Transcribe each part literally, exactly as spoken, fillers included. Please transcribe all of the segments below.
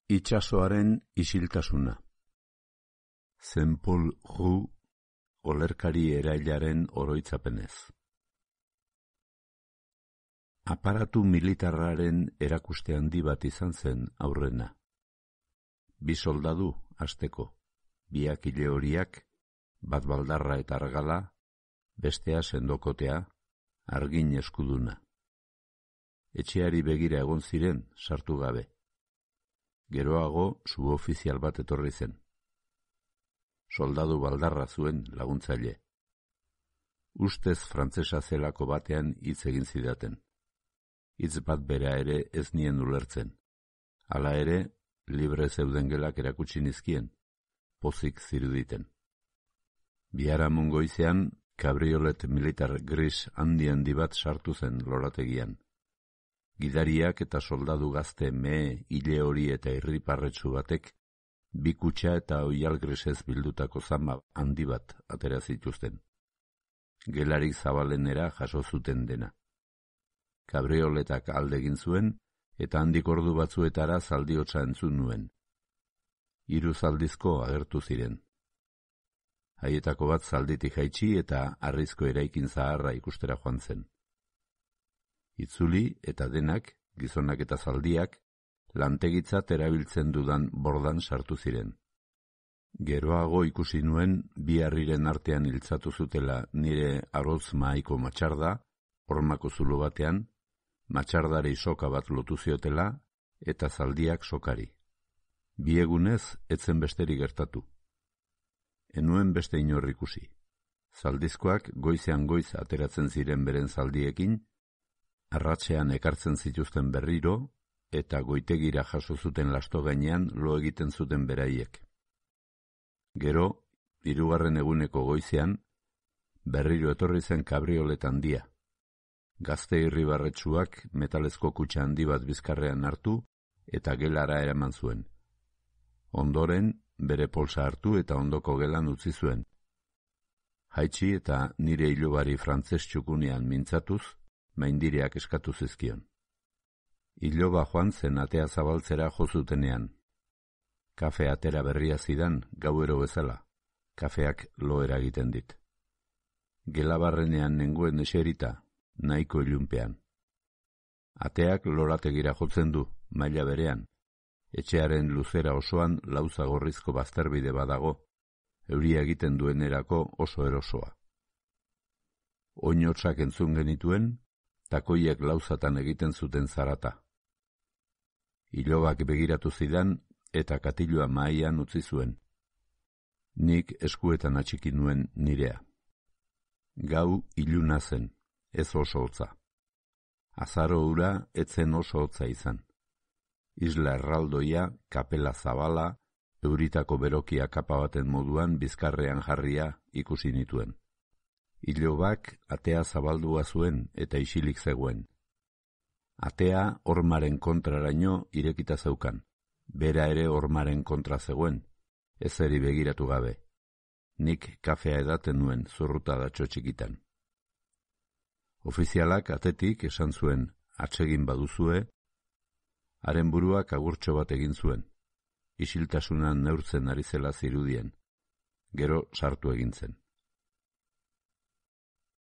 Itsasoaren isiltasuna. Saint-Paul Roux, olerkari erailaren oroitzapenez. Aparatu militarraren erakuste handi bat izan zen aurrena. Bi soldadu, hasteko, biak ile horiak, bat baldarra eta argala, bestea sendokotea, argin eskuduna. Etxeari begira egon ziren, sartu gabe. Geroago subofizial bat etorri zen. Soldadu baldarra zuen laguntzaile. Ustez frantsesa zelako batean hitz egin zidaten. Hitz bat bera ere ez nien ulertzen. Hala ere, libre zeuden gelak erakutsi nizkien, pozik ziruditen. Biharamun goizean, kabriolet militar gris handi handi bat sartu zen lorategian. Gidariak eta soldadu gazte mehe, ile hori eta irriparretsu batek, bi kutxa eta oial grisez bildutako zama handi bat atera zituzten. Gelarik zabalenera jaso zuten dena. Kabrioletak alde egin zuen, eta handik ordu batzuetara zaldiotsa entzun nuen. Hiru zaldizko agertu ziren. Haietako bat zalditik jaitsi eta harrizko eraikin zaharra ikustera joan zen. Itzuli eta denak, gizonak eta zaldiak, lantegitzat erabiltzen dudan bordan sartu ziren. Geroago ikusi nuen bi harriren artean hiltzatu zutela nire aroz mahaiko matxarda, hormako zulo batean, matxardari soka bat lotu ziotela eta zaldiak sokari. Bi egunez etzen besterik gertatu. Enuen beste inor ikusi. Zaldizkoak goizean goiz ateratzen ziren beren zaldiekin, arratsean ekartzen zituzten berriro, eta goitegira jaso zuten lasto gainean lo egiten zuten beraiek. Gero, hirugarren eguneko goizean, berriro etorri zen kabriolet handia. Gazte irribarretsuak metalezko kutxa handi bat bizkarrean hartu eta gelara eraman zuen. Ondoren, bere polsa hartu eta ondoko gelan utzi zuen. Jaitsi eta nire ilobari frantzes txukunean mintzatuz, maindireak eskatu zizkion. Iloba joan zen atea zabaltzera jozutenean. Kafe atera berria zidan gauero bezala, kafeak lo eragiten dit. Gelabarrenean nengoen eserita, nahiko ilunpean. Ateak lorategira jotzen du, maila berean. Etxearen luzera osoan lauza gorrizko bazterbide badago, euria egiten duenerako oso erosoa. Oinotsak entzun genituen, takoiek lauzatan egiten zuten zarata. Ilobak begiratu zidan eta katilua mahaian utzi zuen. Nik eskuetan atxiki nuen nirea. Gau iluna zen, ez oso hotza. Azaro hura etzen oso hotza izan. Isla erraldoia, kapela zabala, euritako berokia kapa baten moduan bizkarrean jarria ikusi nituen. Ilobak atea zabaldua zuen eta isilik zegoen. Atea hormaren kontraraino irekita zeukan. Bera ere hormaren kontra zegoen, ezeri begiratu gabe. Nik kafea edaten nuen zurruta datxo txikitan. Ofizialak atetik esan zuen, atsegin baduzue, haren buruak agurtxo bat egin zuen. Isiltasunan neurtzen ari zela zirudien. Gero sartu egin zen.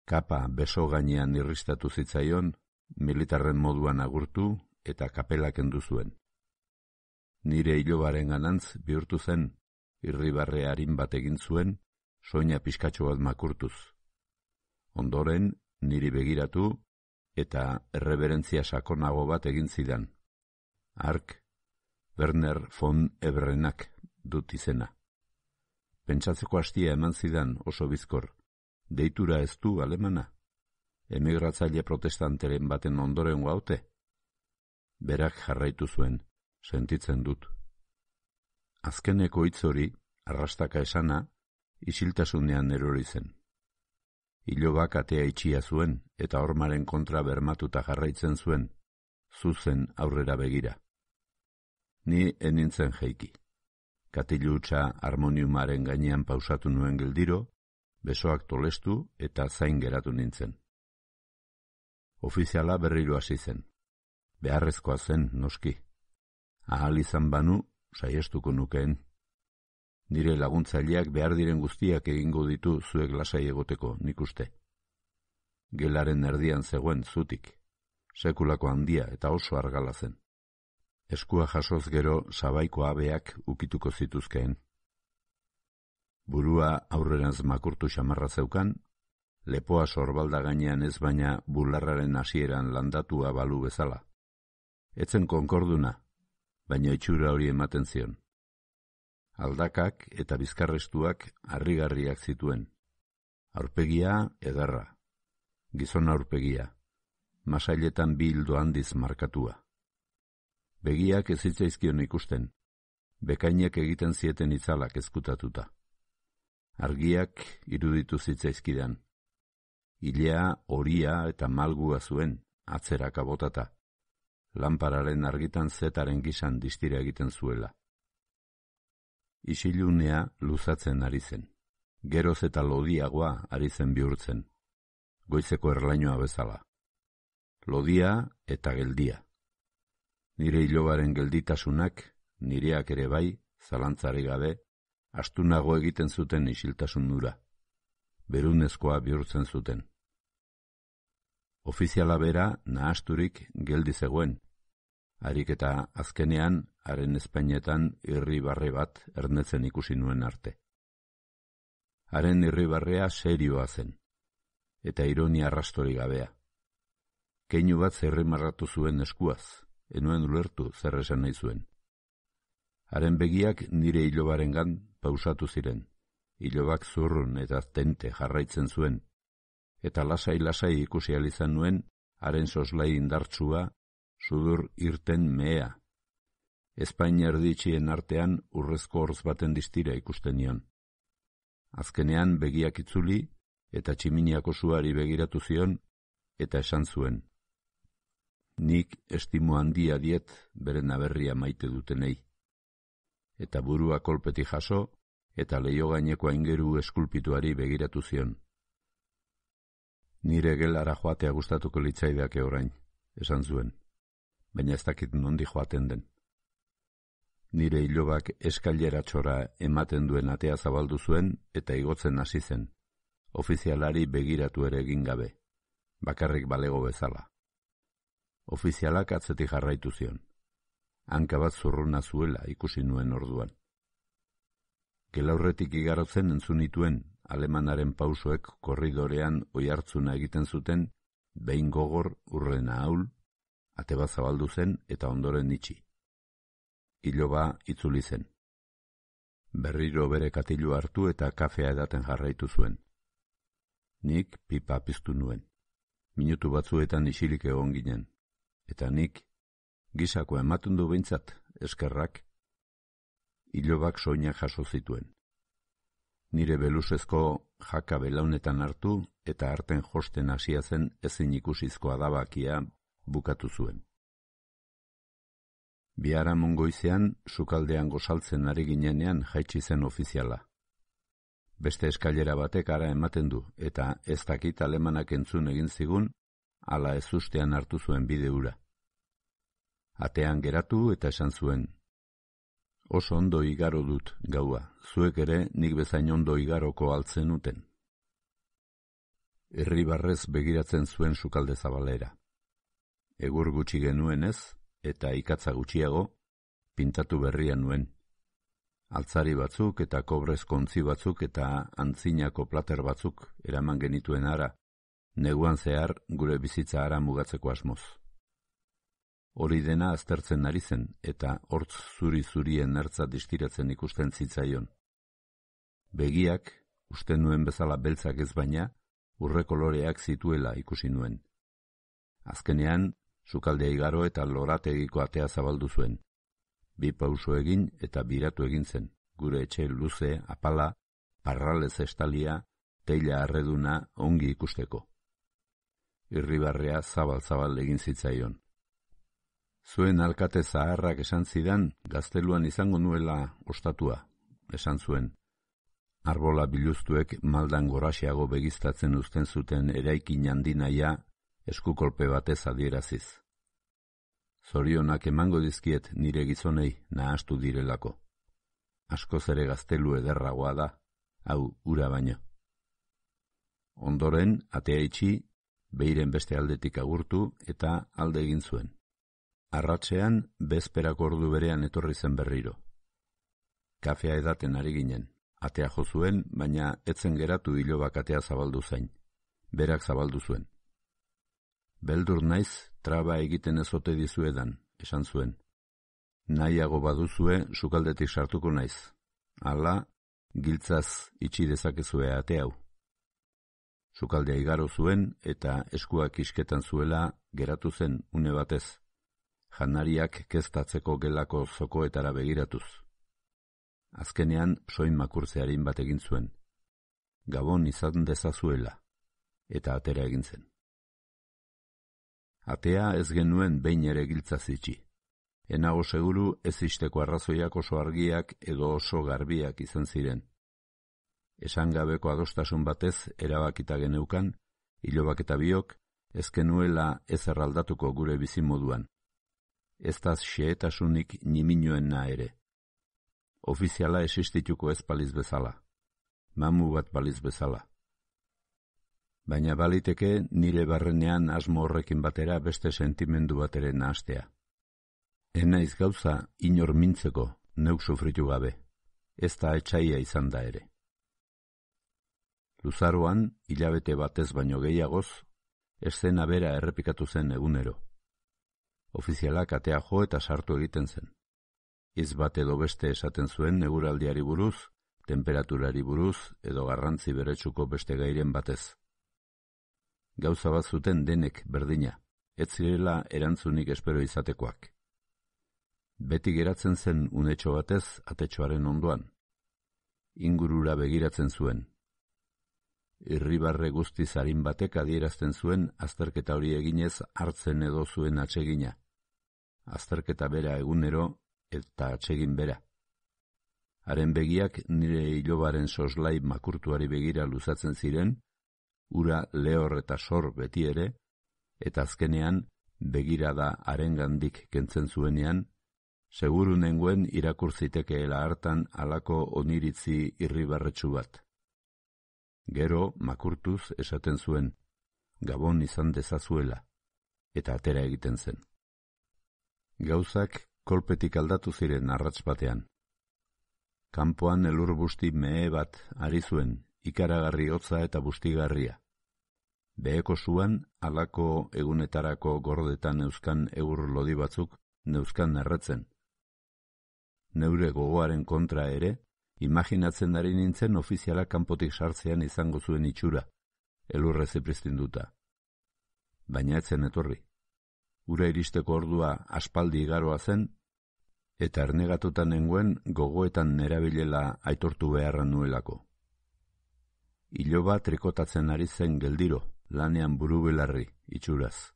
Kapa beso gainean irristatu zitzaion, militarren moduan agurtu eta kapela kendu zuen. Nire ilobaren ganantz bihurtu zen, irribarre harin bat egin zuen, soina pixkatxo bat makurtuz. Ondoren, niri begiratu eta erreberentzia sakonago bat egin zidan. Hark, Werner von Ebrenak dut izena. Pentsatzeko hastia eman zidan oso bizkor. Deitura ez du alemana? Emigratzaile protestanteren baten ondoren guaute? Berak jarraitu zuen, sentitzen dut. Azkeneko hitz hori, arrastaka esana, isiltasunean erori zen. Ilobak atea itxia zuen eta hormaren kontra bermatuta jarraitzen zuen, zuzen aurrera begira. Ni enintzen jeiki. Katilutsa harmoniumaren gainean pausatu nuen geldiro, besoak tolestu eta zain geratu nintzen. Ofiziala berriro hasi zen. Beharrezkoa zen, noski. Ahal izan banu, saiestuko nukeen. Nire laguntzaileak behar diren guztiak egingo ditu zuek lasai egoteko, nik uste. Gelaren erdian zegoen zutik, sekulako handia eta oso argala zen. Eskua jasoz gero sabaiko abeak ukituko zituzkeen. Burua aurrerantz makurtu xamarra zeukan, lepoa sorbalda gainean ez baina bularraren hasieran landatua balu bezala. Etzen konkorduna, baina itxura hori ematen zion. Aldakak eta bizkarrestuak harrigarriak zituen. Aurpegia ederra, gizon aurpegia, masailetan bi hildo handiz markatua. Begiak ez zitzaizkion ikusten, bekainek egiten zieten itzalak ezkutatuta. Argiak iruditu zitzaizkidan. Ilea, horia eta malgua zuen, atzeraka botata. Lanpararen argitan zetaren gisan distira egiten zuela. Isilunea luzatzen ari zen. Geroz eta lodiagoa ari zen bihurtzen. Goizeko erlainoa bezala. Lodia eta geldia. Nire ilobaren gelditasunak, nireak ere bai, zalantzari gabe, astunago egiten zuten isiltasun nura. Berunezkoa bihurtzen zuten. Ofiziala bera nahasturik geldi zegoen, harik eta azkenean haren ezpainetan irribarre bat ernetzen ikusi nuen arte. Haren irribarrea serioa zen, eta ironia arrastori gabea. Keinu bat zerrimarratu zuen eskuaz, enuen ulertu zer esan nahi zuen. Haren begiak nire ilobarengan pausatu ziren, ilobak zurrun eta tente jarraitzen zuen, eta lasai-lasai ikusi ahal izan nuen haren soslai indartsua, sudur irten mehea. Ezpain erditxien artean urrezko horz baten distira ikusten nion. Azkenean begiak itzuli eta tximiniako suari begiratu zion eta esan zuen. Nik estimo handia diet beren aberria maite dutenei. Eta burua kolpeti jaso eta leio gaineko aingeru eskulpituari begiratu zion. Nire gelara joatea gustatuko litzaidake orain, esan zuen, baina ez dakit nondi joaten den. Nire ilobak eskaileratxora ematen duen atea zabaldu zuen eta igotzen hasi zen, ofizialari begiratu ere egin gabe, bakarrik balego bezala. Ofizialak atzetik jarraitu zion, hanka bat zurruna zuela ikusi nuen orduan. Gelaurretik igarotzen entzun nituen alemanaren pausoek korridorean oihartzuna egiten zuten, behin gogor urrena ahul, ate bat zabaldu zen eta ondoren itxi. Iloba itzuli zen. Berriro bere katilu hartu eta kafea edaten jarraitu zuen. Nik pipa piztu nuen. Minutu batzuetan isilik egon ginen. Eta nik, gisako ematen du behintzat, eskerrak, ilobak soinak jaso zituen. Nire belusezko jaka belaunetan hartu eta arten josten hasia zen ezin ikusizko adabakia bukatu zuen. Biharamun goizean, sukaldean gozaltzen ari ginenean jaitsi zen ofiziala. Beste eskailera batek ara ematen du, eta ez dakit alemanak entzun egin zigun, ala ez ustean hartu zuen bide hura. Atean geratu eta esan zuen, oso ondo igaro dut gaua, zuek ere nik bezain ondo igaroko altzen uten. Irribarrez begiratzen zuen sukalde zabalera. Egur gutxi genuenez, eta ikatza gutxiago, pintatu berria nuen. Altzari batzuk eta kobrez kontzi batzuk eta antzinako plater batzuk eraman genituen ara, neguan zehar gure bizitza ara mugatzeko asmoz. Hori dena aztertzen ari zen eta hortz zuri-zurien ertza distiratzen ikusten zitzaion. Begiak, uste nuen bezala beltzak ez baina, urre koloreak zituela ikusi nuen. Azkenean, sukaldea igaro eta lorategiko atea zabaldu zuen. Bi pauso egin eta biratu egin zen, gure etxe luze, apala, parralez estalia, teila arreduna ongi ikusteko. Irribarrea zabal-zabal egin zitzaion. Zuen alkate zaharrak esan zidan, gazteluan izango nuela ostatua, esan zuen. Arbola biluztuek maldan goraxeago begiztatzen uzten zuten eraikin handinaia eskukolpe batez adieraziz. Zorionak emango dizkiet nire gizonei nahastu direlako. Askoz ere gaztelu ederragoa da, hau ura baino. Ondoren, atea itxi, beiren beste aldetik agurtu eta alde egin zuen. Arratsean, bezperako ordu berean etorri zen berriro. Kafea edaten ari ginen. Atea jo zuen, baina etzen geratu ilobak atea zabaldu zain. Berak zabaldu zuen. Beldur naiz, traba egiten ez ote dizuedan, esan zuen. Nahiago baduzue, sukaldetik sartuko naiz. Hala, giltzaz itxi dezakezue ate hau. Sukaldea igaro zuen eta eskuak isketan zuela geratu zen une batez. Janariak keztatzeko gelako zokoetara begiratuz. Azkenean soin makurtzearin bat egin zuen. Gabon izan dezazuela, eta atera egin zen. Atea ez genuen behin ere giltzaz itxi. Enago seguru ez isteko arrazoiak oso argiak edo oso garbiak izan ziren. Esan gabeko adostasun batez erabakita geneukan, ilobak eta biok, ez genuela ez erraldatuko gure bizimoduan. Ez da xehetasunik niminoena ere. Ofiziala existituko ez baliz bezala. Mamu bat baliz bezala. Baina baliteke nire barrenean asmo horrekin batera beste sentimendu bat ere nahastea. Enaiz gauza inor mintzeko, neuk sufritu gabe. Ez da etxaia izan da ere. Luzaroan, hilabete batez baino gehiagoz, eszena bera errepikatu zen egunero. Ofizialak atea jo eta sartu egiten zen. Hitz bat edo beste esaten zuen eguraldiari buruz, temperaturari buruz edo garrantzi beretsuko beste gairen batez. Gauza bat zuten denek berdina, ez zirela erantzunik espero izatekoak. Beti geratzen zen unetxo batez atetxoaren ondoan. Ingurura begiratzen zuen. Irribarre guztiz arin batek adierazten zuen azterketa hori eginez hartzen edo zuen atsegina. Azterketa bera egunero eta atsegin bera. Haren begiak nire ilobaren soslai makurtuari begira luzatzen ziren, ura lehor eta sor beti ere, eta azkenean begirada harengandik kentzen zuenean, seguru nengoen irakur zitekeela hartan halako oniritzi irribarretsu bat. Gero makurtuz esaten zuen, gabon izan dezazuela, eta atera egiten zen. Gauzak kolpetik aldatu ziren arrats batean. Kanpoan elur busti mehe bat ari zuen, ikaragarri hotza eta bustigarria. Beheko zuan, halako egunetarako gordetan euskan eur lodi batzuk neuzkan erretzen. Neure gogoaren kontra ere, imaginatzen ari nintzen ofizialak kanpotik sartzean izango zuen itxura, elurre zipristinduta. Baina etzen etorri. Ura iristeko ordua aspaldi igaroa zen, eta ernegatuta nengoen gogoetan nerabilela aitortu beharra nuelako. Iloba trikotatzen ari zen geldiro, lanean buru belarri, itxuraz.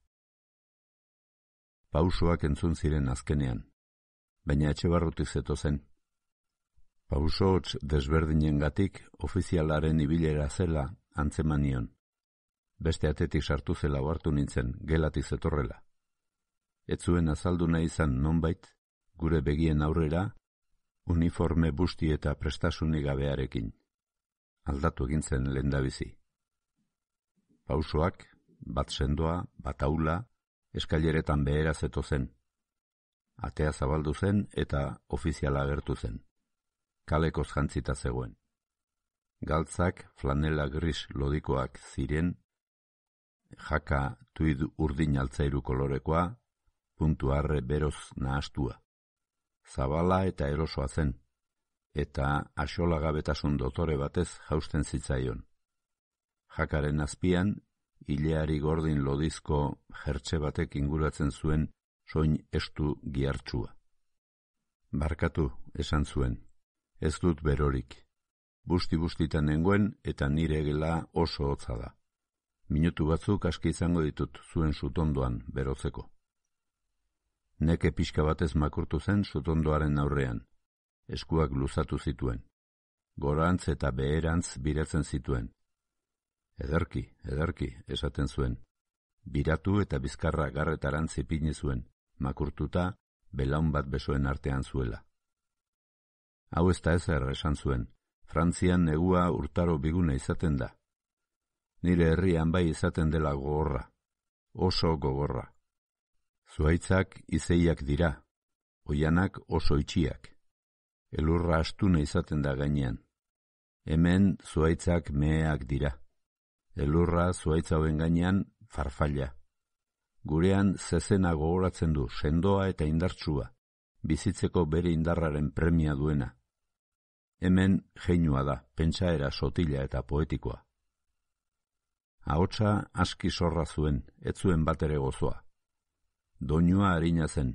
Pausoak entzun ziren azkenean, baina etxe barrutik zetozen. Pauso hots desberdinengatik ofizialaren ibilera zela antzemanion. Beste atetik sartu zela ohartu nintzen, gelatik zetorrela. Ez zuen azaldu nahi izan nonbait, gure begien aurrera, uniforme busti eta prestasunik gabearekin. Aldatu egin zen lehendabizi. Pausoak, bat sendoa, bat aula, eskaileretan behera zetozen. Atea zabaldu zen eta ofiziala agertu zen. Kalekoz jantzita zegoen. Galtzak flanela gris lodikoak ziren, jaka tuid urdin altzairu kolorekoa, puntu arre beroz nahastua. Zabala eta erosoa zen, eta axolagabetasun dotore batez jausten zitzaion. Jakaren azpian, ileari gordin lodizko jertxe batek inguratzen zuen soin estu gihartsua. Barkatu, esan zuen, ez dut berorik. Busti-bustitan nengoen eta nire gela oso hotza da. Minutu batzuk aski izango ditut zuen sutondoan berotzeko. Neke pixka batez makurtu zen sutondoaren aurrean. Eskuak luzatu zituen. Gorantz eta beherantz biratzen zituen. Ederki, ederki, esaten zuen. Biratu eta bizkarra garretarantz ipini zuen, makurtuta, belaun bat besoen artean zuela. Hau ez da ezer esan zuen, Frantzian negua urtaro bigune izaten da. Nire herrian bai izaten dela gogorra, oso gogorra. Zuhaitzak izeiak dira, oianak oso itxiak. Elurra astune izaten da gainean. Hemen zuhaitzak meheak dira. Elurra zuhaitza hauen gainean farfalla. Gurean zezena gogoratzen du, sendoa eta indartsua, bizitzeko bere indarraren premia duena. Hemen jeinua da, pentsaera sotila eta poetikoa. Ahotsa aski sorra zuen, ez zuen batere gozoa. Doinua harina zen,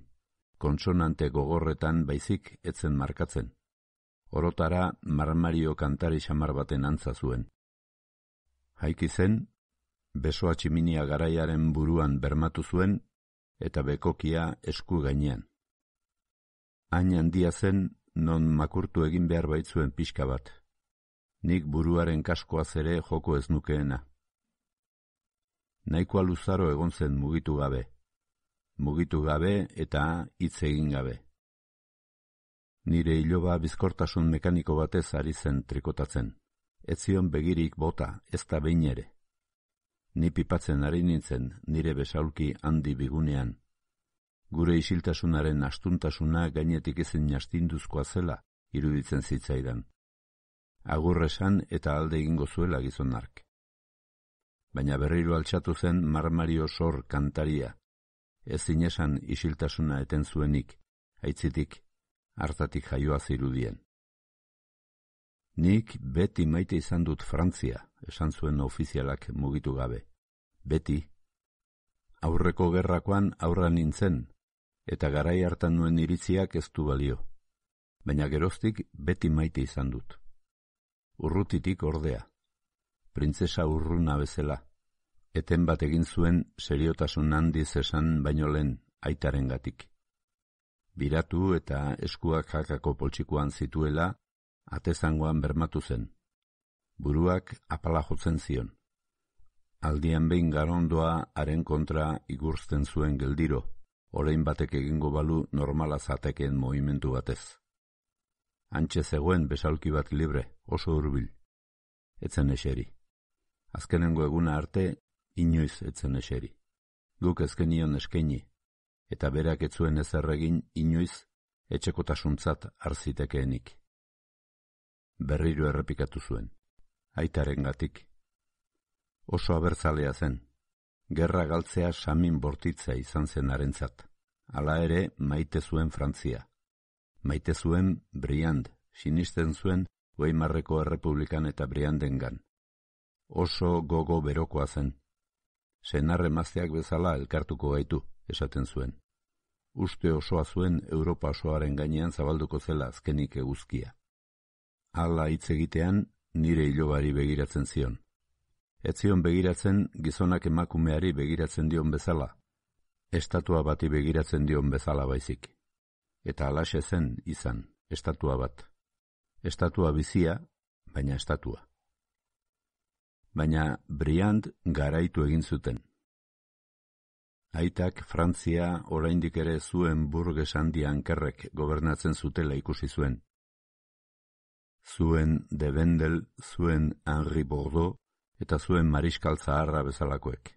kontsonante gogorretan baizik etzen markatzen. Orotara marmario kantari xamar baten antza zuen. Jaiki zen, besoa tximinia garaiaren buruan bermatu zuen, eta bekokia esku gainean. Hain handia zen, non makurtu egin behar baitzuen pixka bat. Nik buruaren kaskoaz ere joko ez nukeena. Nahikoa luzaro egon zen mugitu gabe. Mugitu gabe eta hitz egin gabe. Nire iloba bizkortasun mekaniko batez ari zen trikotatzen. Ez zion begirik bota, ez da behin ere. Ni pipatzen ari nintzen nire besaulki handi bigunean. Gure isiltasunaren astuntasuna gainetik ezin astinduzkoa zela iruditzen zitzaidan. Agur esan eta alde egingo zuela gizonark. Baina berriro altxatu zen marmario sor kantaria. Ezin esan isiltasuna eten zuenik, aitzitik, hartatik jaioa zirudien. Nik beti maite izan dut Frantzia, esan zuen ofizialak mugitu gabe. Beti. Aurreko gerrakoan aurra nintzen, eta garai hartan nuen iritziak ez du balio. Baina geroztik beti maite izan dut. Urrutitik ordea. Printzesa urruna bezala. Eten bat egin zuen seriotasun handiz esan baino lehen aitarengatik. Biratu eta eskuak jakako poltsikoan zituela, atezangoan bermatu zen. Buruak apala jotzen zion. Aldian behin garondoa haren kontra igurzten zuen geldiro, orain batek egingo balu normala zatekeen movimentu batez. Antxe zegoen besaulki bat libre, oso hurbil. Etzen eseri. Azkenengo eguna arte, inoiz etzen eseri. Guk ezkenion eskaini, eta berak ez zuen ezer egin inoiz etxekotasuntzat harzitekeenik. Berriro errepikatu zuen, aitarengatik. Oso abertzalea zen, gerra galtzea samin bortitza izan zen harentzat. Hala ere maite zuen Frantzia. Maite zuen Briand, sinisten zuen Weimarreko Errepublikan eta Briandengan. Oso gogo berokoa zen. Senar emazteak bezala elkartuko gaitu, esaten zuen. Uste osoa zuen Europa osoaren gainean zabalduko zela azkenik eguzkia. Hala hitz egitean nire ilobari begiratzen zion. Ez zion begiratzen gizonak emakumeari begiratzen dion bezala, estatua bati begiratzen dion bezala baizik. Eta halaxe zen izan, estatua bat. Estatua bizia, baina estatua. Baina Briand garaitu egin zuten. Aitak Frantzia oraindik ere zuen burges handi hankerrek gobernatzen zutela ikusi zuen. Zuen de Vendel, zuen Henri Bordeaux eta zuen Mariskal Zaharra bezalakoek.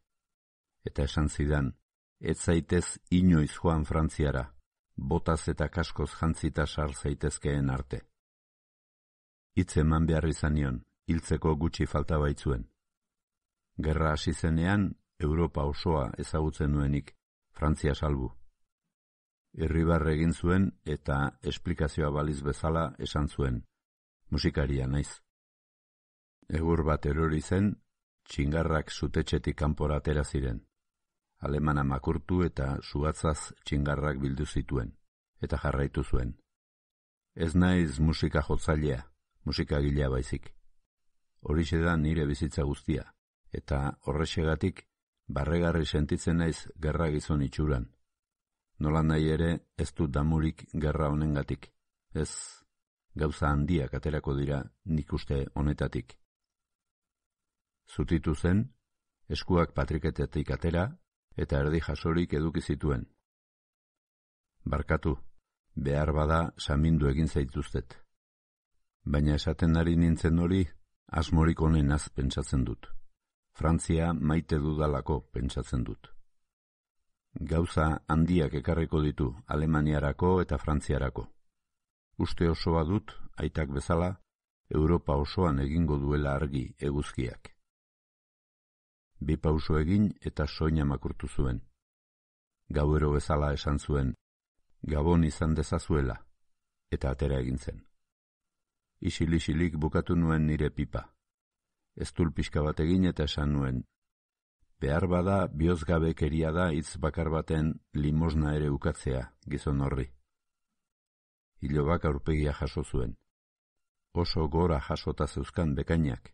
Eta esan zidan, ez zaitez inoiz joan Frantziara, botaz eta kaskoz jantzita sar zaitezkeen arte. Hitz eman behar izanion, hiltzeko gutxi falta baitzuen. Gerra hasi zenean, Europa osoa ezagutzen nuenik, Frantzia salbu. Irribarre egin zuen eta esplikazioa baliz bezala esan zuen, musikaria naiz. Egur bat erori zen, txingarrak zutetxetik kanpora atera ziren. Alemana makurtu eta suatzaz txingarrak bildu zituen, eta jarraitu zuen. Ez naiz musika jotzailea, musika gilea baizik. Horixe da nire bizitza guztia, eta horrexegatik barregarri sentitzen naiz gerra gizon itxuran. Nola nahi ere ez dut damurik gerra honengatik, ez gauza handiak aterako dira nik uste honetatik. Zutitu zen, eskuak patriketetik atera, eta erdi jasorik eduki zituen. Barkatu, behar bada samindu egin zaituztet. Baina esaten ari nintzen hori, asmorik onenaz pentsatzen dut. Frantzia maite dudalako pentsatzen dut. Gauza handiak ekarriko ditu Alemaniarako eta Frantziarako. Uste osoa dut, aitak bezala, Europa osoan egingo duela argi eguzkiak. Bi pauso egin eta soina makurtu zuen. Gauero bezala esan zuen, Gabon izan dezazuela, eta atera egin zen. Isil-isilik bukatu nuen nire pipa. Eztul pixka bat egin eta esan nuen, behar bada bihozgabekeria da hitz bakar baten limosna ere ukatzea, gizon horri. Ilobak aurpegia jaso zuen. Oso gora jasota zeuzkan bekainak,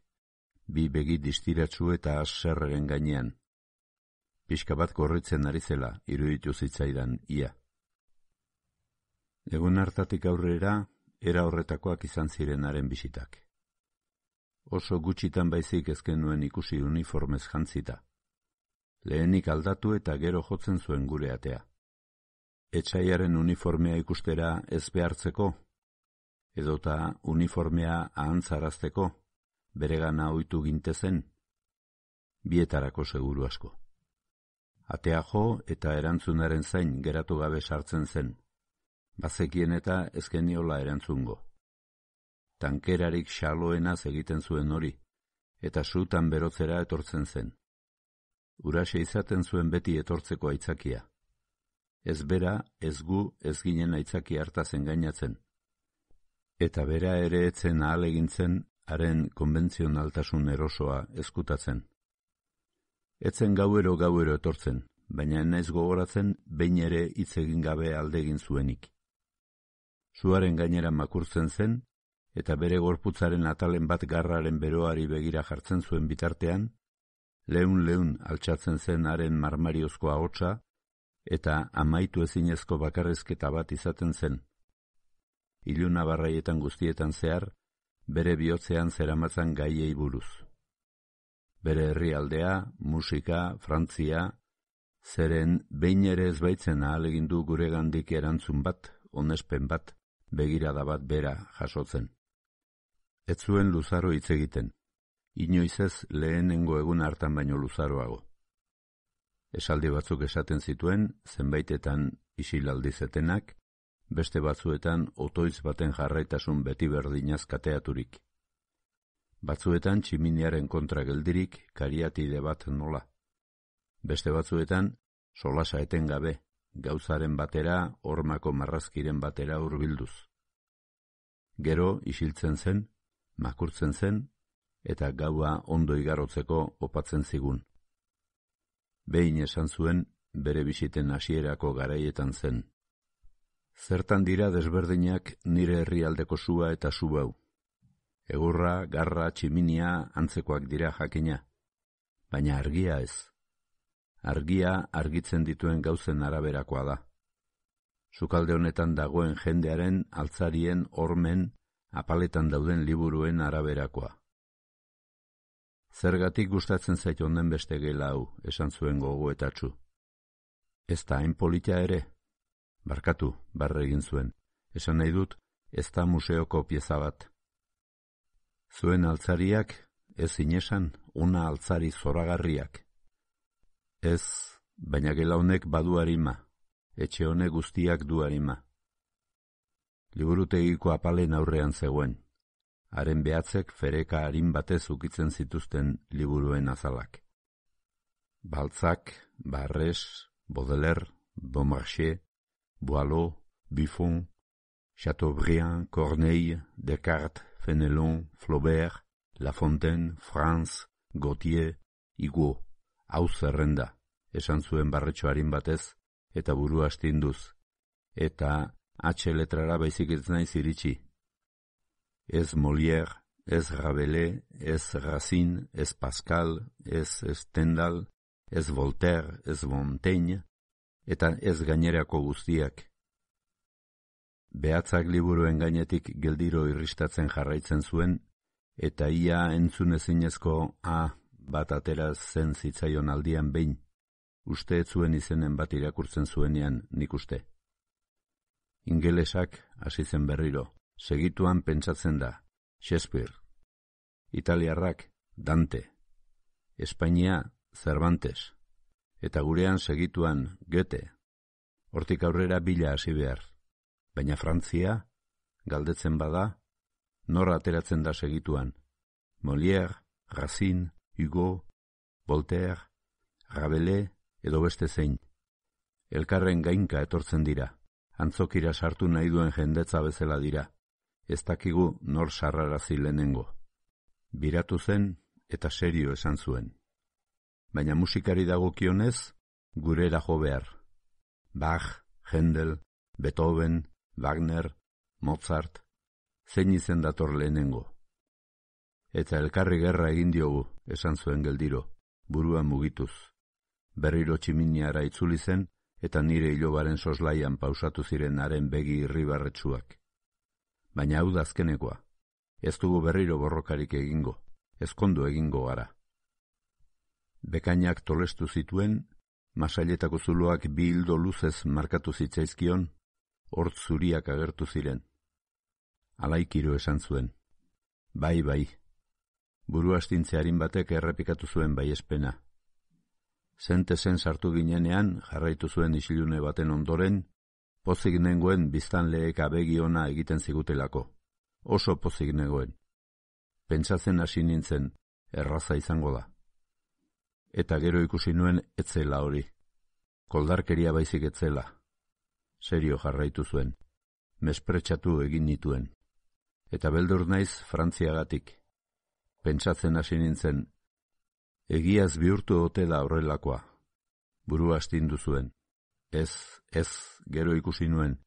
bi begi distiratsu eta aserreren gainean. Pixka bat gorritzen ari zela, iruditu zitzaidan ia. Egun hartatik aurrera, era horretakoak izan zirenaren bisitak. Oso gutxitan baizik ezken nuen ikusi uniformez jantzita. Lehenik aldatu eta gero jotzen zuen gure atea. Etsaiaren uniformea ikustera ez behartzeko, edota uniformea ahantzarazteko, beregana ohitu gintezen, bietarako seguru asko. Atea jo eta erantzunaren zain geratu gabe sartzen zen, bazekien eta ezkeniola erantzungo. Tankerarik xaloenaz egiten zuen hori, eta sutan berotzera etortzen zen. Uraxe izaten zuen beti etortzeko aitzakia. Ez bera, ez gu, ez ginen aitzaki hartaz engainatzen. Eta bera ere etzen ahalegintzen, haren konbentzionaltasun erosoa eskutatzen. Etzen gauero gauero etortzen, baina naiz gogoratzen behin ere hitz egin gabe aldegin zuenik. Suaren gainera makurtzen zen, eta bere gorputzaren atalen bat garraren beroari begira jartzen zuen bitartean, leun-leun altxatzen zen haren marmariozko ahotsa, eta amaitu ezinezko bakarrizketa bat izaten zen. Iluna barraietan guztietan zehar, bere bihotzean zeramatzan gaiei buruz. Bere herrialdea, musika, Frantzia, zeren behin ere ez baitzen ahalegindu guregandik erantzun bat, onespen bat, begirada bat bera jasotzen. Ez zuen luzaro hitz egiten, inoiz ez lehenengo egun hartan baino luzaroago. Esaldi batzuk esaten zituen, zenbaitetan isilaldizetenak, beste batzuetan otoiz baten jarraitasun beti berdinaz kateaturik. Batzuetan tximiniaren kontra geldirik kariatide bat nola. Beste batzuetan solasa etengabe, gauzaren batera, hormako marrazkiren batera hurbilduz. Gero isiltzen zen, makurtzen zen, eta gaua ondo igarotzeko opatzen zigun. Behin esan zuen, bere bisiten hasierako garaietan zen. Zertan dira desberdinak nire herrialdeko sua eta su hau. Egurra, garra, tximinia antzekoak dira jakina, baina argia ez. Argia argitzen dituen gauzen araberakoa da. Sukalde honetan dagoen jendearen, altzarien, hormen, apaletan dauden liburuen araberakoa. Zergatik gustatzen zait onden beste gela hau, esan zuen gogoetatsu. Ez da hain polita ere? Barkatu, barre egin zuen. Esan nahi dut, ez da museoko pieza bat. Zuen altzariak, ez inesan, una altzari zoragarriak. Ez, baina gela honek badu harima, etxe honek guztiak du harima. Liburutegiko apalen aurrean zegoen. Haren behatzek fereka harin batez ukitzen zituzten liburuen azalak. Balzac, Barres, Baudelaire, Beaumarchais, Boileau, Buffon, Chateaubriand, Corneille, Descartes, Fenelon, Flaubert, La Fontaine, Franz, Gautier, Hugo, hau zerrenda, esan zuen barretxo harin batez, eta buru astinduz, eta H letrara baizik ez naiz iritsi. Ez Molière, ez Rabelais, ez Racine, ez Pascal, ez Stendhal, ez Voltaire, ez Montaigne, eta ez gainerako guztiak. Behatzak liburuen gainetik geldiro irristatzen jarraitzen zuen, eta ia entzun ezinezko A bat atera zen zitzaion aldian behin, uste ez zuen izenen bat irakurtzen zuenean nik uste. Ingelesak hasi zen berriro, segituan pentsatzen da, Shakespeare. Italiarrak, Dante. Espainia, Cervantes. Eta gurean segituan, Goethe. Hortik aurrera bila hasi behar. Baina Frantzia, galdetzen bada, nor ateratzen da segituan. Molière, Racine, Hugo, Voltaire, Rabelais edo beste zein. Elkarren gainka etortzen dira. Antzokira sartu nahi duen jendetza bezala dira. Ez dakigu nor sarrarazi lehenengo. Biratu zen eta serio esan zuen. Baina musikari dagokionez, gurera jo behar. Bach, Händel, Beethoven, Wagner, Mozart, zein izen dator lehenengo. Eta elkarri gerra egin diogu, esan zuen geldiro, burua mugituz. Berriro tximiniara itzuli zen, eta nire ilobaren soslaian pausatu ziren haren begi irribarretsuak. Baina hau da azkenekoa, ez dugu berriro borrokarik egingo, ezkondu egingo gara. Bekainak tolestu zituen, masailetako zuloak bi hildo luzez markatu zitzaizkion, hort zuriak agertu ziren. Alaikiro esan zuen. Bai, bai. Buru astintzearin batek errepikatu zuen baiespena. Zentezen sartu ginenean, jarraitu zuen isilune baten ondoren, pozik nengoen biztanleek abegi ona egiten zigutelako. Oso pozik nengoen. Pentsatzen hasi nintzen, erraza izango da. Eta gero ikusi nuen etzela hori. Koldarkeria baizik etzela. Serio jarraitu zuen. Mespretsatu egin nituen. Eta beldur naiz Frantziagatik. Pentsatzen hasi nintzen, egiaz bihurtu ote da horrelakoa. Burua astindu zuen. Ez, ez, gero ikusi nuen,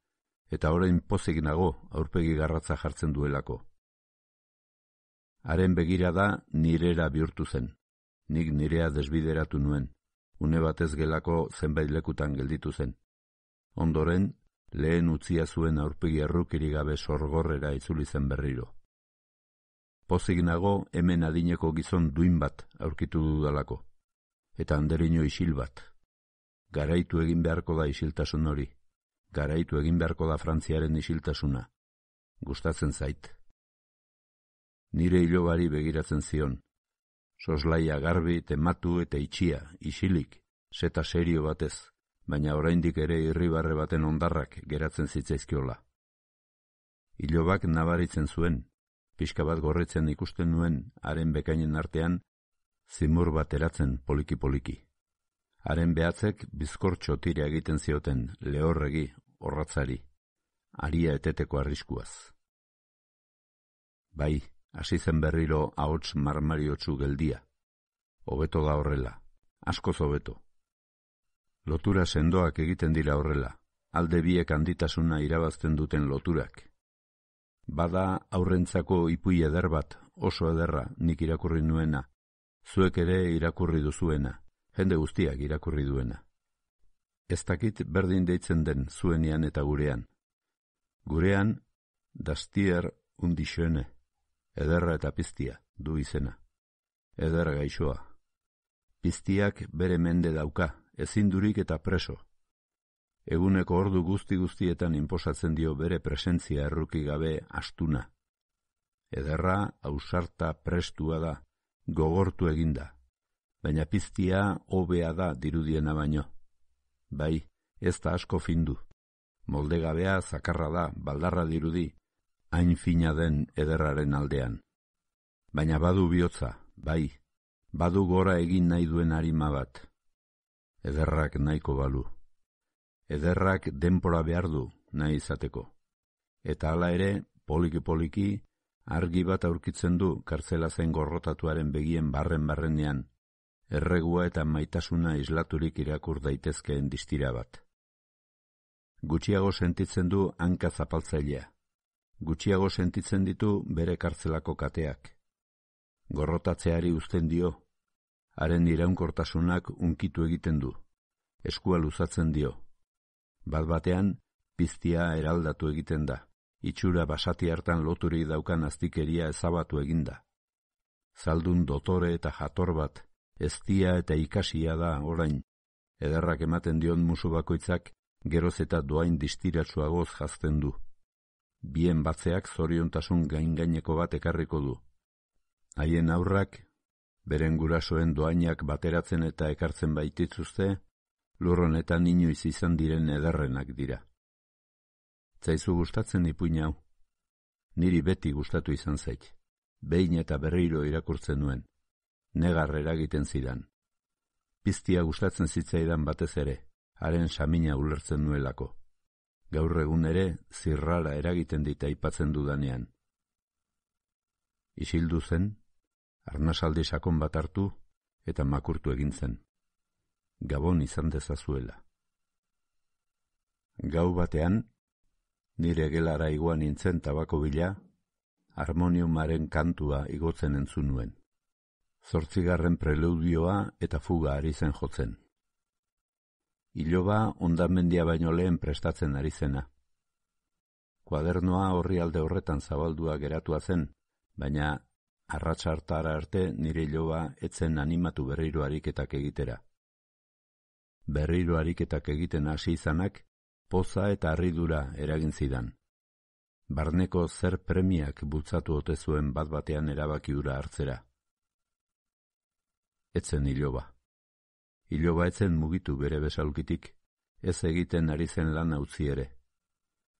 eta orain pozik nago aurpegi garratza jartzen duelako. Haren begirada nirera bihurtu zen. Nik nirea desbideratu nuen. Une batez gelako zenbait lekutan gelditu zen. Ondoren, lehen utzia zuen aurpegi errukiri gabe sorgorrera itzuli zen berriro. Pozik nago hemen adineko gizon duin bat aurkitu dudalako, eta anderino isil bat. Garaitu egin beharko da isiltasun hori, garaitu egin beharko da Frantziaren isiltasuna. Gustatzen zait. Nire ilobari begiratzen zion. Soslaia garbi, tematu eta itxia, isilik, seta serio batez, baina oraindik ere irribarre baten ondarrak geratzen zitzaizkiola. Ilobak nabaritzen zuen, pixka bat gorritzen ikusten nuen haren bekainen artean, zimur bat eratzen poliki-poliki. Haren behatzek bizkortxo tira egiten zioten lehorregi, orratzari, aria eteteko arriskuaz. Bai, hasi zen berriro ahots marmariotsu geldia. Hobeto da horrela, askoz hobeto. Lotura sendoak egiten dira horrela, alde biek handitasuna irabazten duten loturak. Bada aurrentzako ipui eder bat, oso ederra, nik irakurri nuena, zuek ere irakurri duzuena, jende guztiak irakurri duena. Ez dakit berdin deitzen den zuenean eta gurean. Gurean, dastier undixene, ederra eta piztia, du izena. Eder gaixoa. Piztiak bere mende dauka, ezindurik eta preso. Eguneko ordu guzti-guztietan inposatzen dio bere presentzia erruki gabe astuna. Ederra, ausarta, prestua da, gogortu eginda. Baina piztia hobea da dirudiena baino. Bai, ez da asko findu. Moldegabea zakarra da, baldarra dirudi, hain fina den ederraren aldean. Baina badu bihotza, bai, badu gora egin nahi duen arima bat. Ederrak nahiko balu. Ederrak denpora behar du nahi izateko. Eta hala ere, poliki-poliki, argi bat aurkitzen du kartzela zen gorrotatuaren begien barren-barrenean, erregua eta maitasuna islaturik irakur daitezkeen distira bat. Gutxiago sentitzen du hanka zapaltzailea. Gutxiago sentitzen ditu bere kartzelako kateak. Gorrotatzeari uzten dio, haren iraunkortasunak unkitu egiten du, eskua luzatzen dio. Bat batean, piztia eraldatu egiten da, itxura basati hartan loturik daukan aztikeria ezabatu eginda. Zaldun dotore eta jator bat, eztia eta ikasia da orain, ederrak ematen dion musu bakoitzak geroz eta doain distiratsuagoz jazten du. Bien batzeak zoriontasun gain-gaineko bat ekarriko du. Haien aurrak, beren gurasoen doainak bateratzen eta ekartzen baitituzte, lur honetan inoiz izan diren ederrenak dira. Zaizu gustatzen ipuin hau? Niri beti gustatu izan zait. Behin eta berriro irakurtzen nuen. Negar eragiten zidan. Piztia gustatzen zitzaidan batez ere, haren samina ulertzen nuelako. Gaur egun ere zirrara eragiten dit aipatzen dudanean. Isildu zen, arnasaldi sakon bat hartu eta makurtu egin zen. Gabon izan dezazuela. Gau batean, nire gelara iguan nintzen tabako bila, harmoniumaren kantua igotzen entzun nuen. Zortzigarren preludioa eta fuga ari zen jotzen. Iloba hondamendia baino lehen prestatzen ari zena. Kuadernoa horri alde horretan zabaldua geratua zen, baina arratsartara arte nire iloba etzen animatu berriro ariketak egitera. Berriro ariketak egiten hasi izanak, poza eta harridura eragin zidan. Barneko zer premiak bultzatu ote zuen bat batean erabaki hura hartzera. Etzen iloba. Iloba etzen mugitu bere besaulkitik, ez egiten ari zen lan utzi ere.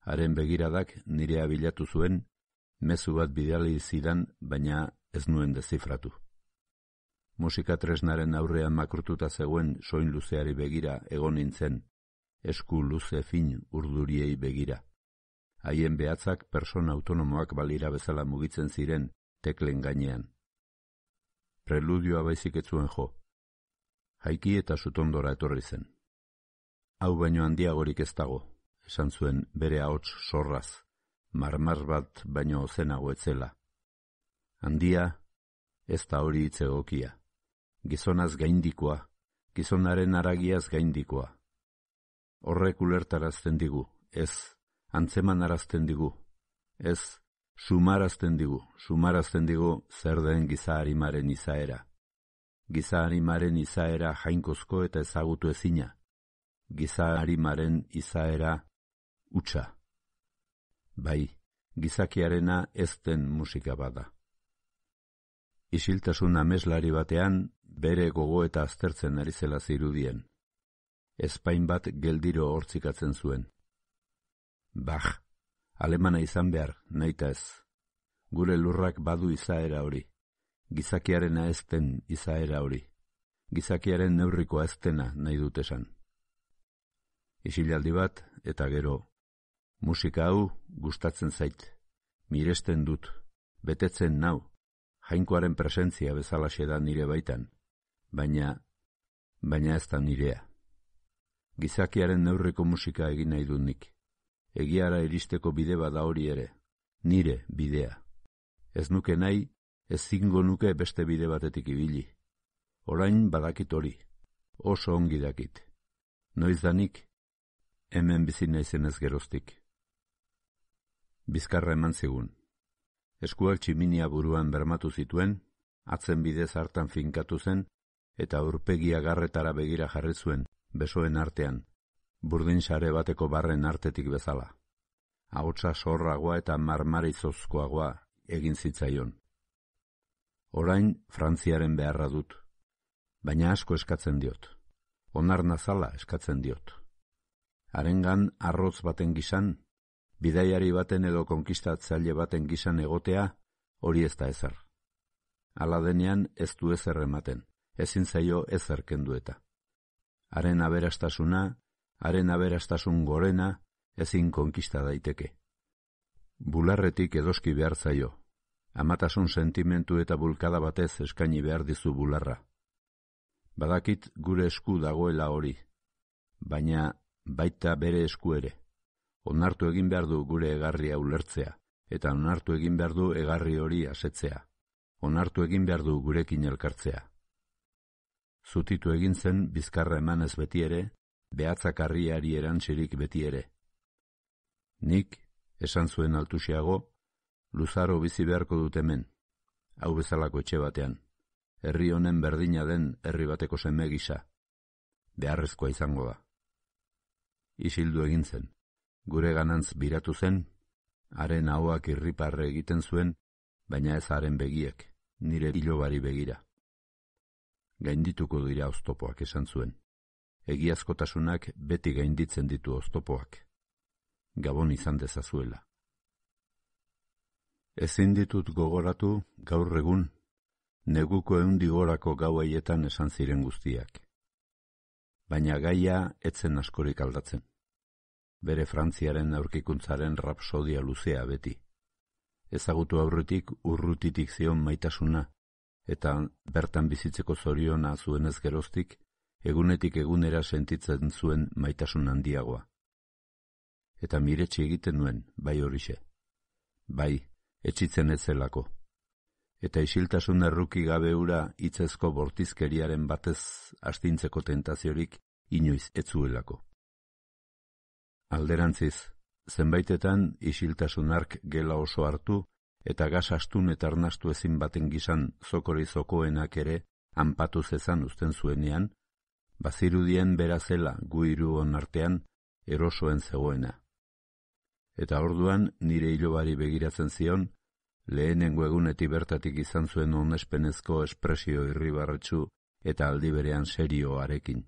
Haren begiradak nirea bilatu zuen, mezu bat bidali zidan, baina ez nuen dezifratu. Musika tresnaren aurrean makurtuta zegoen soin luzeari begira egon nintzen, esku luze fin urduriei begira. Haien behatzak persona autonomoak balira bezala mugitzen ziren teklen gainean. Preludioa baizik ez zuen jo. Jaiki eta sutondora etorri zen. Hau baino handiagorik ez dago, esan zuen bere ahots sorraz, marmar bat baino ozenago etzela. Handia, ez da hori hitz egokia. Gizonaz gaindikoa, gizonaren haragiaz gaindikoa. Horrek ulertarazten digu, ez, antzeman arazten digu, ez, sumarazten digu, sumarazten digu zer den giza harimaren izaera. Giza harimaren izaera jainkozko eta ezagutu ezina. Giza harimaren izaera hutsa. Bai, gizakiarena ez den musika bada. Isiltasun ameslari batean, bere gogo eta aztertzen ari zela zirudien. Ezpain bat geldiro hortzikatzen zuen. Bach, alemana izan behar, nahita ez. Gure lurrak badu izaera hori. Gizakiarena ez den izaera hori. Gizakiaren neurrikoa ez dena nahi dut esan. Isilaldi bat eta gero. Musika hau gustatzen zait. Miresten dut. Betetzen nau. Jainkoaren presentzia bezalaxe da nire baitan. Baina, baina ez da nirea. Gizakiaren neurriko musika egin nahi dut nik. Egiara iristeko bide bada hori ere. Nire bidea. Ez nuke nahi, ez zingo nuke beste bide batetik ibili. Orain badakit hori. Oso ongi dakit. Noiz danik, hemen bizi naizenez geroztik. Bizkarra eman zigun. Eskuak tximinia buruan bermatu zituen, atzen bidez hartan finkatu zen, eta aurpegia garretara begira jarri zuen, besoen artean, burdin sare bateko barren artetik bezala. Ahotsa sorragoa eta marmarizozkoagoa egin zitzaion. Orain Frantziaren beharra dut, baina asko eskatzen diot. Onar nazala eskatzen diot. Harengan arroz baten gisan, bidaiari baten edo konkistatzaile baten gisan egotea, hori ez da ezer. Hala denean ez du ezer ematen, ezin zaio ezer kendu eta. Haren aberastasuna, haren aberastasun gorena, ezin konkista daiteke. Bularretik edoski behar zaio. Amatasun sentimentu eta bulkada batez eskaini behar dizu bularra. Badakit gure esku dagoela hori, baina baita bere esku ere. Onartu egin behar du gure egarria ulertzea, eta onartu egin behar du egarri hori asetzea. Onartu egin behar du gurekin elkartzea. Zutitu egin zen bizkarra emanez beti ere, behatzakarriari erantzirik beti ere. Nik, esan zuen altusiago, luzaro bizi beharko dut hemen, hau bezalako etxe batean, herri honen berdina den herri bateko seme gisa, beharrezkoa izango da. isildu egin zen. Gure ganantz biratu zen, haren ahoak irriparre egiten zuen, baina ez haren begiek, nire ilobari begira. Gaindituko dira oztopoak, esan zuen. Egiazkotasunak beti gainditzen ditu oztopoak. Gabon izan dezazuela. Ezin ditut gogoratu gaur egun, neguko eundigorako gau haietan esan ziren guztiak. Baina gaia etzen askorik aldatzen. Bere Frantziaren aurkikuntzaren rapsodia luzea beti. Ezagutu aurretik urrutitik zion maitasuna, eta bertan bizitzeko zoriona zuenez geroztik, egunetik egunera sentitzen zuen maitasun handiagoa. Eta miretsi egiten nuen, bai horixe. Bai, etxitzen ez zelako. Eta isiltasun erruki gabe ura hitzezko bortizkeriaren batez astintzeko tentaziorik inoiz etzuelako. Alderantziz, zenbaitetan isiltasun hark gela oso hartu eta gas astun eta arnastu ezin baten gisan zokori zokoenak ere anpatu zezan uzten zuenean, bazirudien bera zela gu hiruon artean erosoen zegoena. Eta orduan nire ilobari begiratzen zion, lehenengo egunetik bertatik izan zuen onespenezko espresio irribarretsu eta aldi berean serioarekin.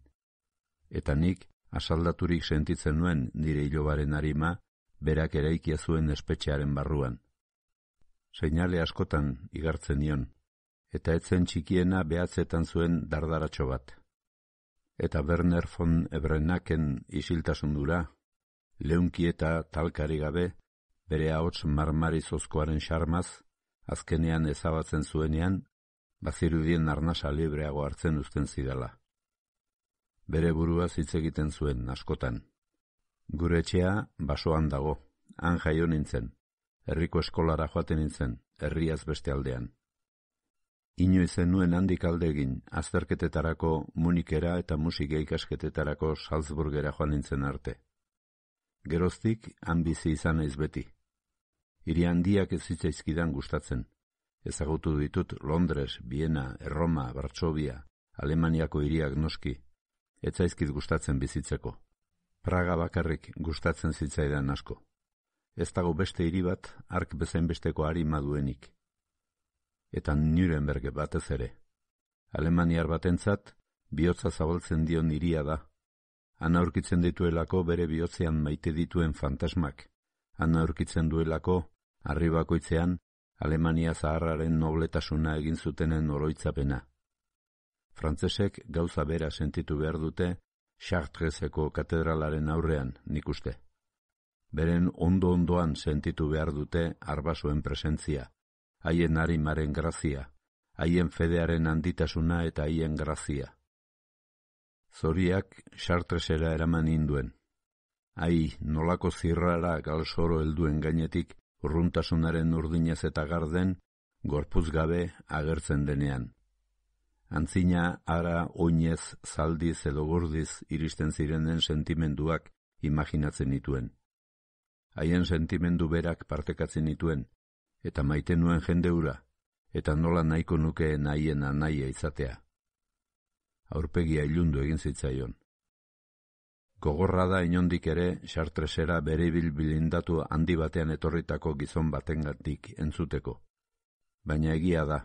Eta nik, asaldaturik sentitzen nuen nire ilobaren arima, berak eraikia zuen espetxearen barruan. Seinale askotan igartzen nion, eta etzen txikiena behatzetan zuen dardaratxo bat. Eta Werner von Ebrenaken isiltasundura, leunki eta talkari gabe, bere ahots marmarizozkoaren xarmaz, azkenean ezabatzen zuenean, bazirudien arnasa libreago hartzen uzten zidala. Bere buruaz hitz egiten zuen askotan. Gure etxea basoan dago, han jaio nintzen, herriko eskolara joaten nintzen, herriaz beste aldean. Inoizen nuen handik alde egin, azterketetarako Munikera eta musika ikasketetarako Salzburgera joan nintzen arte. Geroztik, han bizi izan naiz beti. Hiri handiak ez zitzaizkidan gustatzen. Ezagutu ditut Londres, Viena, Erroma, Varsovia, Alemaniako hiriak noski. Ez zaizkit gustatzen bizitzeko. Praga bakarrik gustatzen zitzaidan asko. Ez dago beste hiri bat, hark bezain besteko arima duenik. Eta Nuremberg batez ere. Alemaniar batentzat, bihotza zabaltzen dion hiria da. Han aurkitzen dituelako bere bihotzean maite dituen fantasmak. Han aurkitzen duelako, harri bakoitzean, Alemania zaharraren nobletasuna egin zutenen oroitzapena. Frantsesek gauza bera sentitu behar dute Chartreseko katedralaren aurrean, nik uste. Beren ondo-ondoan sentitu behar dute arbasoen presentzia, haien harimaren grazia, haien fedearen handitasuna eta haien grazia. Zoriak Chartresera eraman ninduen. Ai, nolako zirrara galsoro helduen gainetik urruntasunaren urdinez eta garden, gorpuz gabe agertzen denean. Antzina ara oinez, zaldiz edo gordiz iristen zirenen sentimenduak imaginatzen nituen. Haien sentimendu berak partekatzen nituen, eta maite nuen jendeura, eta nola nahiko nukeen haien anaia izatea. Aurpegia ilundu egin zitzaion. Gogorra da inondik ere Chartresera bere bilbilindatu handi batean etorritako gizon batengatik entzuteko. Baina egia da,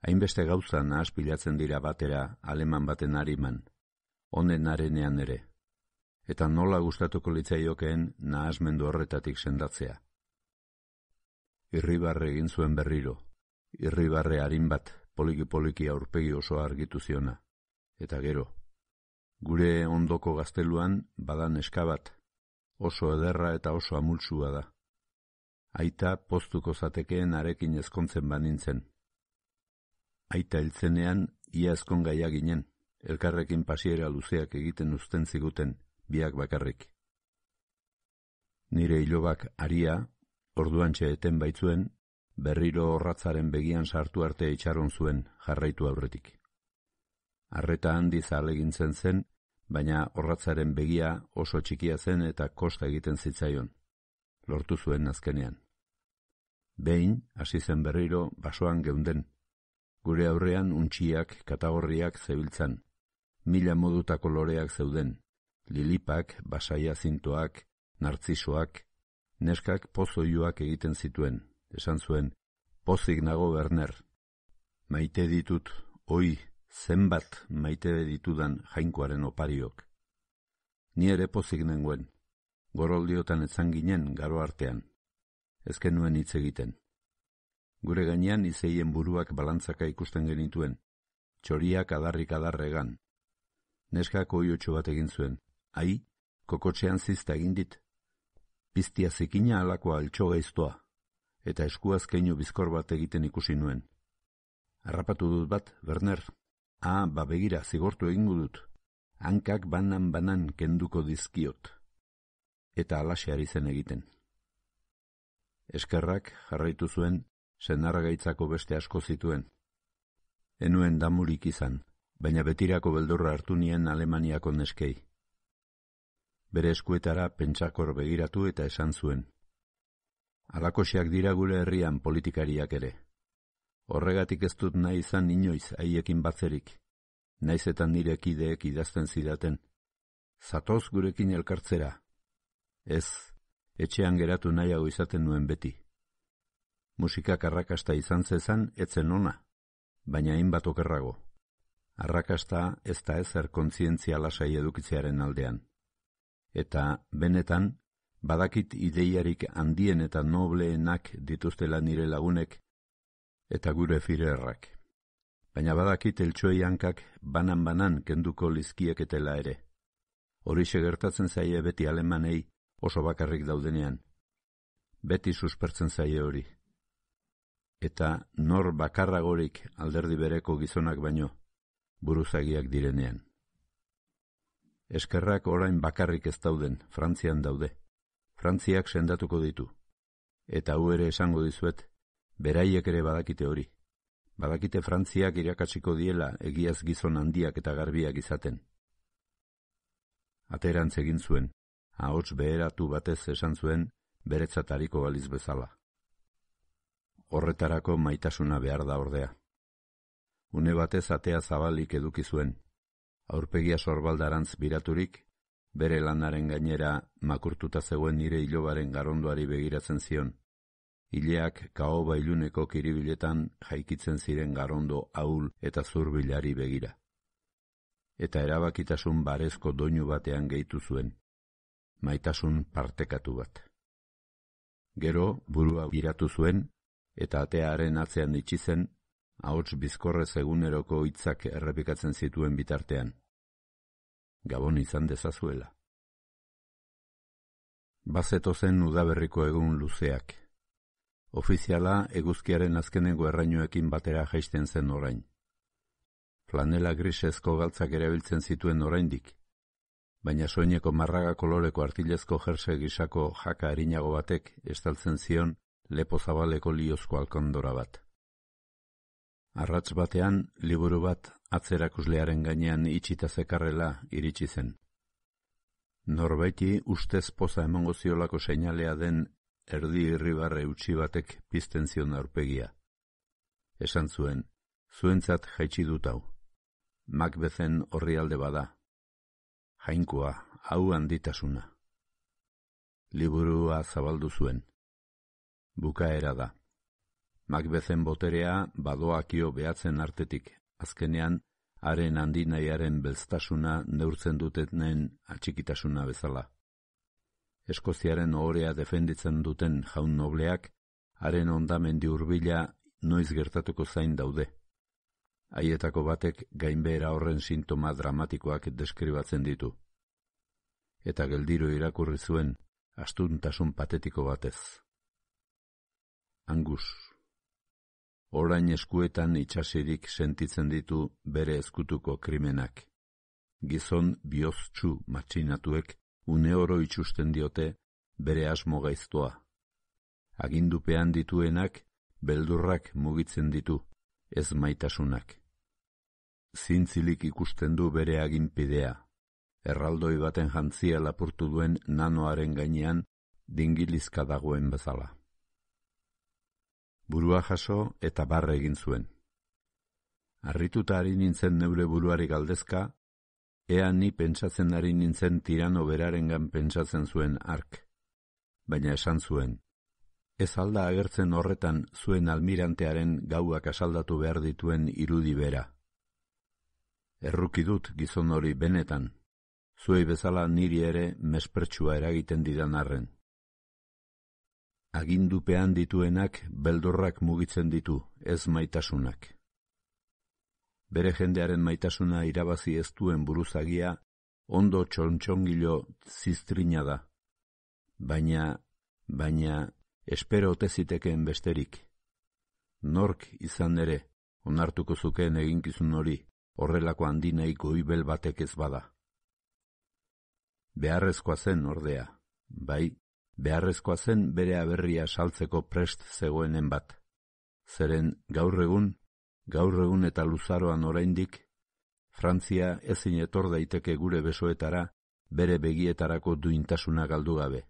hainbeste gauza nahaspilatzen dira batera aleman baten hariman, honen arenean ere, eta nola gustatuko litzaiokeen nahasmendu horretatik sendatzea. Irribarre egin zuen berriro, irribarre harin bat poliki-poliki aurpegi oso argitu ziona, eta gero, gure ondoko gazteluan badan eskabat, oso ederra eta oso amultsua da. Aita poztuko zatekeen arekin ezkontzen banintzen. Aita hiltzenean ia ezkon gaia ginen, elkarrekin pasiera luzeak egiten uzten ziguten, biak bakarrik. Nire ilobak aria, orduantxe eten baitzuen, berriro horratzaren begian sartu arte itxaron zuen jarraitu aurretik. Arreta handiz ahalegintzen zen, baina horratzaren begia oso txikia zen eta kosta egiten zitzaion. Lortu zuen azkenean. Behin, hasi zen berriro, basoan geunden. Gure aurrean untxiak, katagorriak zebiltzan. Mila modutako loreak zeuden. lilipak, basaia zintoak, nartzisoak, neskak pozoioak egiten zituen. Esan zuen, pozik nago Werner. Maite ditut, oi, zenbat maite ditudan jainkoaren opariok. Ni ere pozik nengoen, goroldiotan etzan ginen garo artean. Ezken nuen hitz egiten. Gure gainean izeien buruak balantzaka ikusten genituen, txoriak adarrik adarregan. Neskak oiotxo bat egin zuen, ai, kokotxean zizta egin dit. Piztia zikina alakoa altxo gaiztoa, eta eskuaz keinu bizkor bat egiten ikusi nuen. Harrapatu dut bat, Werner. Ah, ba begira, zigortu egingo dut. Hankak banan-banan kenduko dizkiot. Eta alaxe ari zen egiten. Eskerrak jarraitu zuen, senargaitzako beste asko zituen. Enuen damurik izan, baina betirako beldurra hartu nien Alemaniako neskei. Bere eskuetara pentsakor begiratu eta esan zuen. Alakoxeak dira gure herrian politikariak ere. Horregatik ez dut nahi izan inoiz haiekin batzerik, naiz eta nire kideek idazten zidaten. Zatoz gurekin elkartzera. Ez, etxean geratu nahiago izaten nuen beti. Musikak arrakasta izan zezan, etzen ona, baina hainbat okerrago. Arrakasta ez da ezer kontzientzia lasai edukitzearen aldean. Eta, benetan, badakit ideiarik handien eta nobleenak dituztela nire lagunek, eta gure firerrak. Baina badakit eltxoei hankak banan-banan kenduko lizkieketela ere. Horixe gertatzen zaie beti alemanei oso bakarrik daudenean. Beti suspertzen zaie hori. Eta nor bakarragorik alderdi bereko gizonak baino, buruzagiak direnean. Eskerrak orain bakarrik ez dauden, Frantzian daude. Frantziak sendatuko ditu. Eta hu ere esango dizuet, beraiek ere badakite hori. Badakite Frantziak irakatsiko diela egiaz gizon handiak eta garbiak izaten. Aterantz egin zuen, ahots beheratu batez esan zuen, beretzat hariko baliz bezala. Horretarako maitasuna behar da ordea. Une batez atea zabalik eduki zuen, aurpegia sorbaldarantz biraturik, bere lanaren gainera makurtuta zegoen nire ilobaren garondoari begiratzen zion. Ileak kaoba iluneko kiribiletan jaikitzen ziren garondo ahul eta zurbilari begira. Eta erabakitasun barezko doinu batean gehitu zuen, maitasun partekatu bat. Gero burua giratu zuen, eta atearen atzean itxi zen, ahots bizkorrez eguneroko hitzak errepikatzen zituen bitartean. Gabon izan dezazuela. Bazeto zen udaberriko egun luzeak. Ofiziala eguzkiaren azkenengo errainuekin batera jaisten zen orain. Flanela grisezko galtzak erabiltzen zituen oraindik, baina soineko marraga koloreko artilezko jerse gisako jaka erinago batek estaltzen zion lepo zabaleko liozko alkandora bat. Arratz batean, liburu bat atzerakuslearen gainean itxita zekarrela iritsi zen. Norbaiti ustez poza emango ziolako seinalea den erdi irribarre utzi batek pizten zion aurpegia. Esan zuen, zuentzat jaitsi dut hau. Macbethen orrialde bada. Jainkoa, hau handitasuna. Liburua zabaldu zuen. Bukaera da. Macbethen boterea badoakio behatzen artetik, azkenean, haren handinaiaren belztasuna neurtzen dutenen atxikitasuna bezala. Eskoziaren ohorea defenditzen duten jaun nobleak, haren ondamendi hurbila noiz gertatuko zain daude. Haietako batek gainbehera horren sintoma dramatikoak deskribatzen ditu. Eta geldiro irakurri zuen, astuntasun patetiko batez. Angus. Orain eskuetan itxasirik sentitzen ditu bere ezkutuko krimenak. Gizon bihoztsu matxinatuek une oro itxusten diote bere asmo gaiztoa. Agindupean dituenak beldurrak mugitzen ditu, ez maitasunak. Zintzilik ikusten du bere aginpidea, erraldoi baten jantzia lapurtu duen nanoaren gainean dingilizka dagoen bezala. Burua jaso eta barre egin zuen. Harrituta ari nintzen neure buruari galdezka, Ea ni pentsatzen ari nintzen tirano berarengan pentsatzen zuen hark, baina esan zuen, ez alda agertzen horretan zuen almirantearen gauak asaldatu behar dituen irudi bera. Erruki dut gizon hori benetan, zuei bezala niri ere mespertsua eragiten didan arren. Agindupean dituenak beldorrak mugitzen ditu, ez maitasunak. Bere jendearen maitasuna irabazi ez duen buruzagia ondo txontxongilo ziztrina da, baina, baina, espero ote zitekeen besterik. Nork izan ere, onartuko zukeen eginkizun hori, horrelako handinei goibel batek ez bada. Beharrezkoa zen ordea, bai, beharrezkoa zen bere aberria saltzeko prest zegoenen bat. Zeren gaur egun, gaur egun eta luzaroan oraindik, Frantzia ezin etor daiteke gure besoetara bere begietarako duintasuna galdu gabe.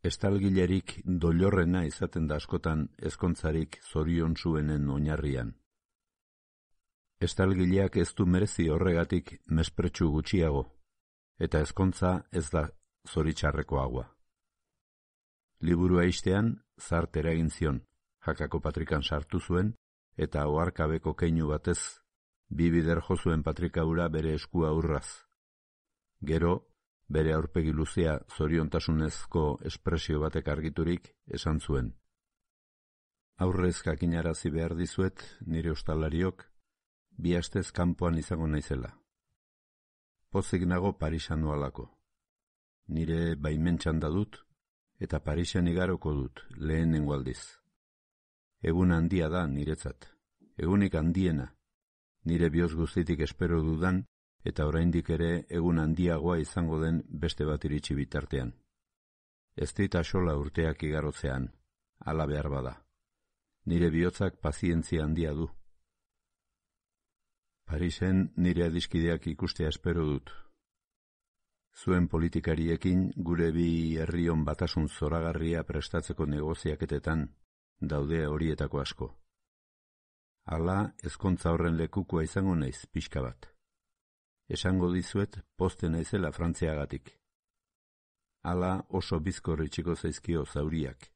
Estalgilerik doilorrena izaten da askotan ezkontzarik zorion zuenen oinarrian. Estalgileak ez du merezi horregatik mespertsu gutxiago, eta ezkontza ez da zoritxarrekoagoa. Liburua ixtean, zart eragin zion, Jakako patrikan sartu zuen, eta oharkabeko keinu batez, bi bider jo zuen patrika hura bere eskua urraz. Gero, bere aurpegi luzea zoriontasunezko espresio batek argiturik esan zuen. Aurrez jakinarazi behar dizuet, nire ostalariok, bi astez kanpoan izango naizela. Pozik nago Parisan noalako. Nire baimentxan da dut, eta Parisen igaroko dut, lehenengo aldiz. Egun handia da niretzat, egunik handiena, nire bihotz guztitik espero dudan, eta oraindik ere egun handiagoa izango den beste bat iritsi bitartean. Ez dit axola urteak igarotzean, hala behar bada. Nire bihotzak pazientzia handia du. Parisen nire adiskideak ikustea espero dut. Zuen politikariekin gure bi herrion batasun zoragarria prestatzeko negoziaketetan daude horietako asko. Hala, ezkontza horren lekukoa izango naiz pixka bat. Esango dizuet poste naizela Frantziagatik. Hala oso bizkor itxiko zaizkio zauriak.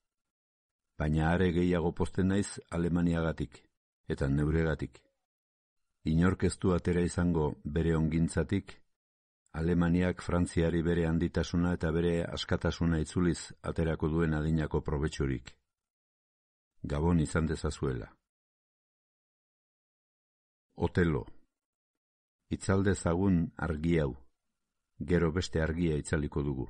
Baina are gehiago poste naiz Alemaniagatik, eta neuregatik. Inork ez du atera izango bere ongintzatik, Alemaniak Frantziari bere handitasuna eta bere askatasuna itzuliz aterako duen adinako probetxurik. Gabon izan dezazuela. Otelo. Itzaldezagun argi hau, gero beste argia itzaliko dugu.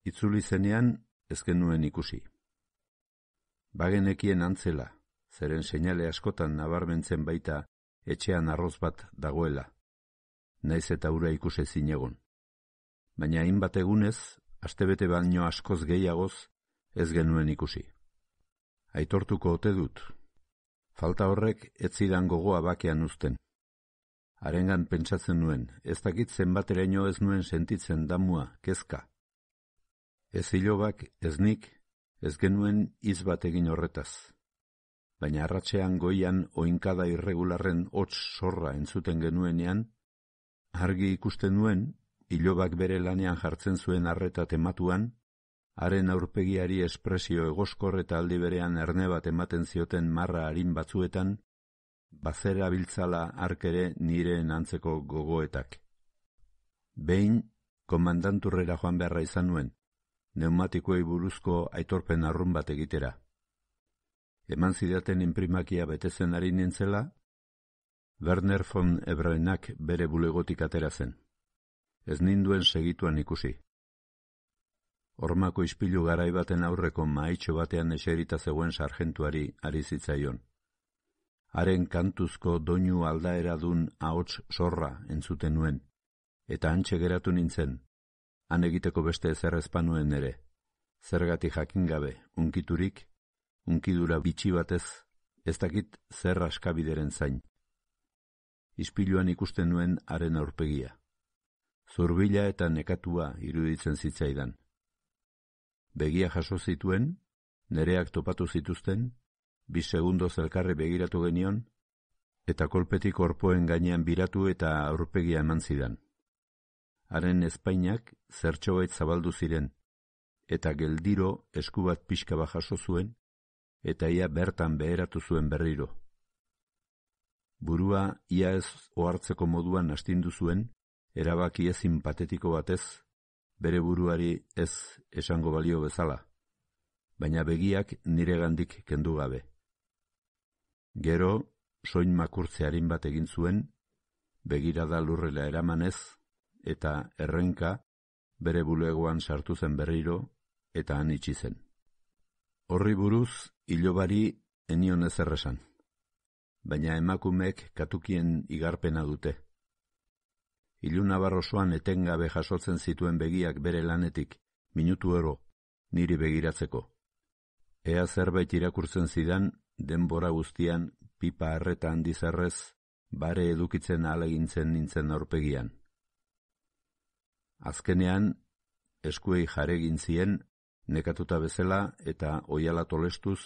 Itzuli zenean ez genuen ikusi. Bagenekien antzela, zeren seinale askotan nabarmentzen baita etxean arroz bat dagoela, naiz eta ura ikuse zinegon. Baina hainbat egunez, astebete baino askoz gehiagoz, ez genuen ikusi. Aitortuko ote dut. Falta horrek ez zidan gogoa bakean uzten. Harengan pentsatzen nuen, ez dakit zenbateraino ez nuen sentitzen damua, kezka. Ez hilobak, ez nik, ez genuen hitz bat egin horretaz. Baina arratsean goian oinkada irregularren hots sorra entzuten genuenean, argi ikusten nuen, hilobak bere lanean jartzen zuen arreta tematuan, haren aurpegiari espresio egoskor eta aldi berean erne bat ematen zioten marra harin batzuetan, bazera biltzala arkere nireen antzeko gogoetak. Behin, komandanturrera joan beharra izan nuen, neumatikoei buruzko aitorpen arrun bat egitera. Eman zidaten inprimakia betetzen ari nintzela, Werner von Ebrenak bere bulegotik atera zen. Ez ninduen segituan ikusi. Hormako ispilu garai baten aurreko mahaitxo batean eserita zegoen sarjentuari ari zitzaion. Haren kantuzko doinu aldaera dun ahots sorra entzuten nuen, eta hantxe geratu nintzen, han egiteko beste ezer ezpanuen ere, zergatik jakin gabe, unkiturik, unkidura bitxi batez, ez dakit zer askabideren zain. Ispiluan ikusten nuen haren aurpegia. Zurbila eta nekatua iruditzen zitzaidan. Begia jaso zituen, nereak topatu zituzten, bi segundoz elkarri begiratu genion, eta kolpetik orpoen gainean biratu eta aurpegia eman zidan. Haren ezpainak zertxobait zabaldu ziren, eta geldiro esku bat pixka bat jaso zuen, eta ia bertan beheratu zuen berriro. Burua ia ez ohartzeko moduan astindu zuen, erabaki ezin patetiko batez, bere buruari ez esango balio bezala, baina begiak niregandik kendu gabe. Gero, soin makurtze arin bat egin zuen, begirada lurrela eramanez, eta errenka bere bulegoan sartu zen berriro, eta han itxi zen. Horri buruz, ilobari enion ezer esan, baina emakumeek katukien igarpena dute. Ilunabar osoan etengabe jasotzen zituen begiak bere lanetik, minutu ero, niri begiratzeko. Ea zerbait irakurtzen zidan, denbora guztian, pipa arreta handizarrez, bare edukitzen ahalegintzen nintzen aurpegian. Azkenean, eskuei jaregin zien, nekatuta bezala eta oihala tolestuz,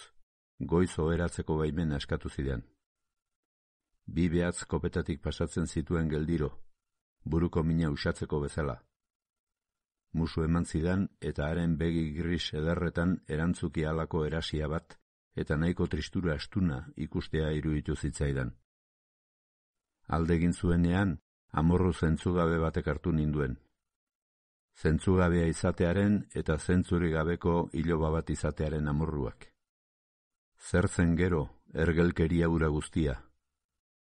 goiz oheratzeko baimena eskatu zidan. Bi behatz kopetatik pasatzen zituen geldiro, buruko mina usatzeko bezala. Musu eman zidan eta haren begi gris ederretan erantzuki halako erasia bat eta nahiko tristura astuna ikustea iruditu zitzaidan. Alde egin zuenean, amorru zentzugabe batek hartu ninduen. Zentzugabea izatearen eta zentzuri gabeko iloba bat izatearen amorruak. Zer zen gero, ergelkeria ura guztia,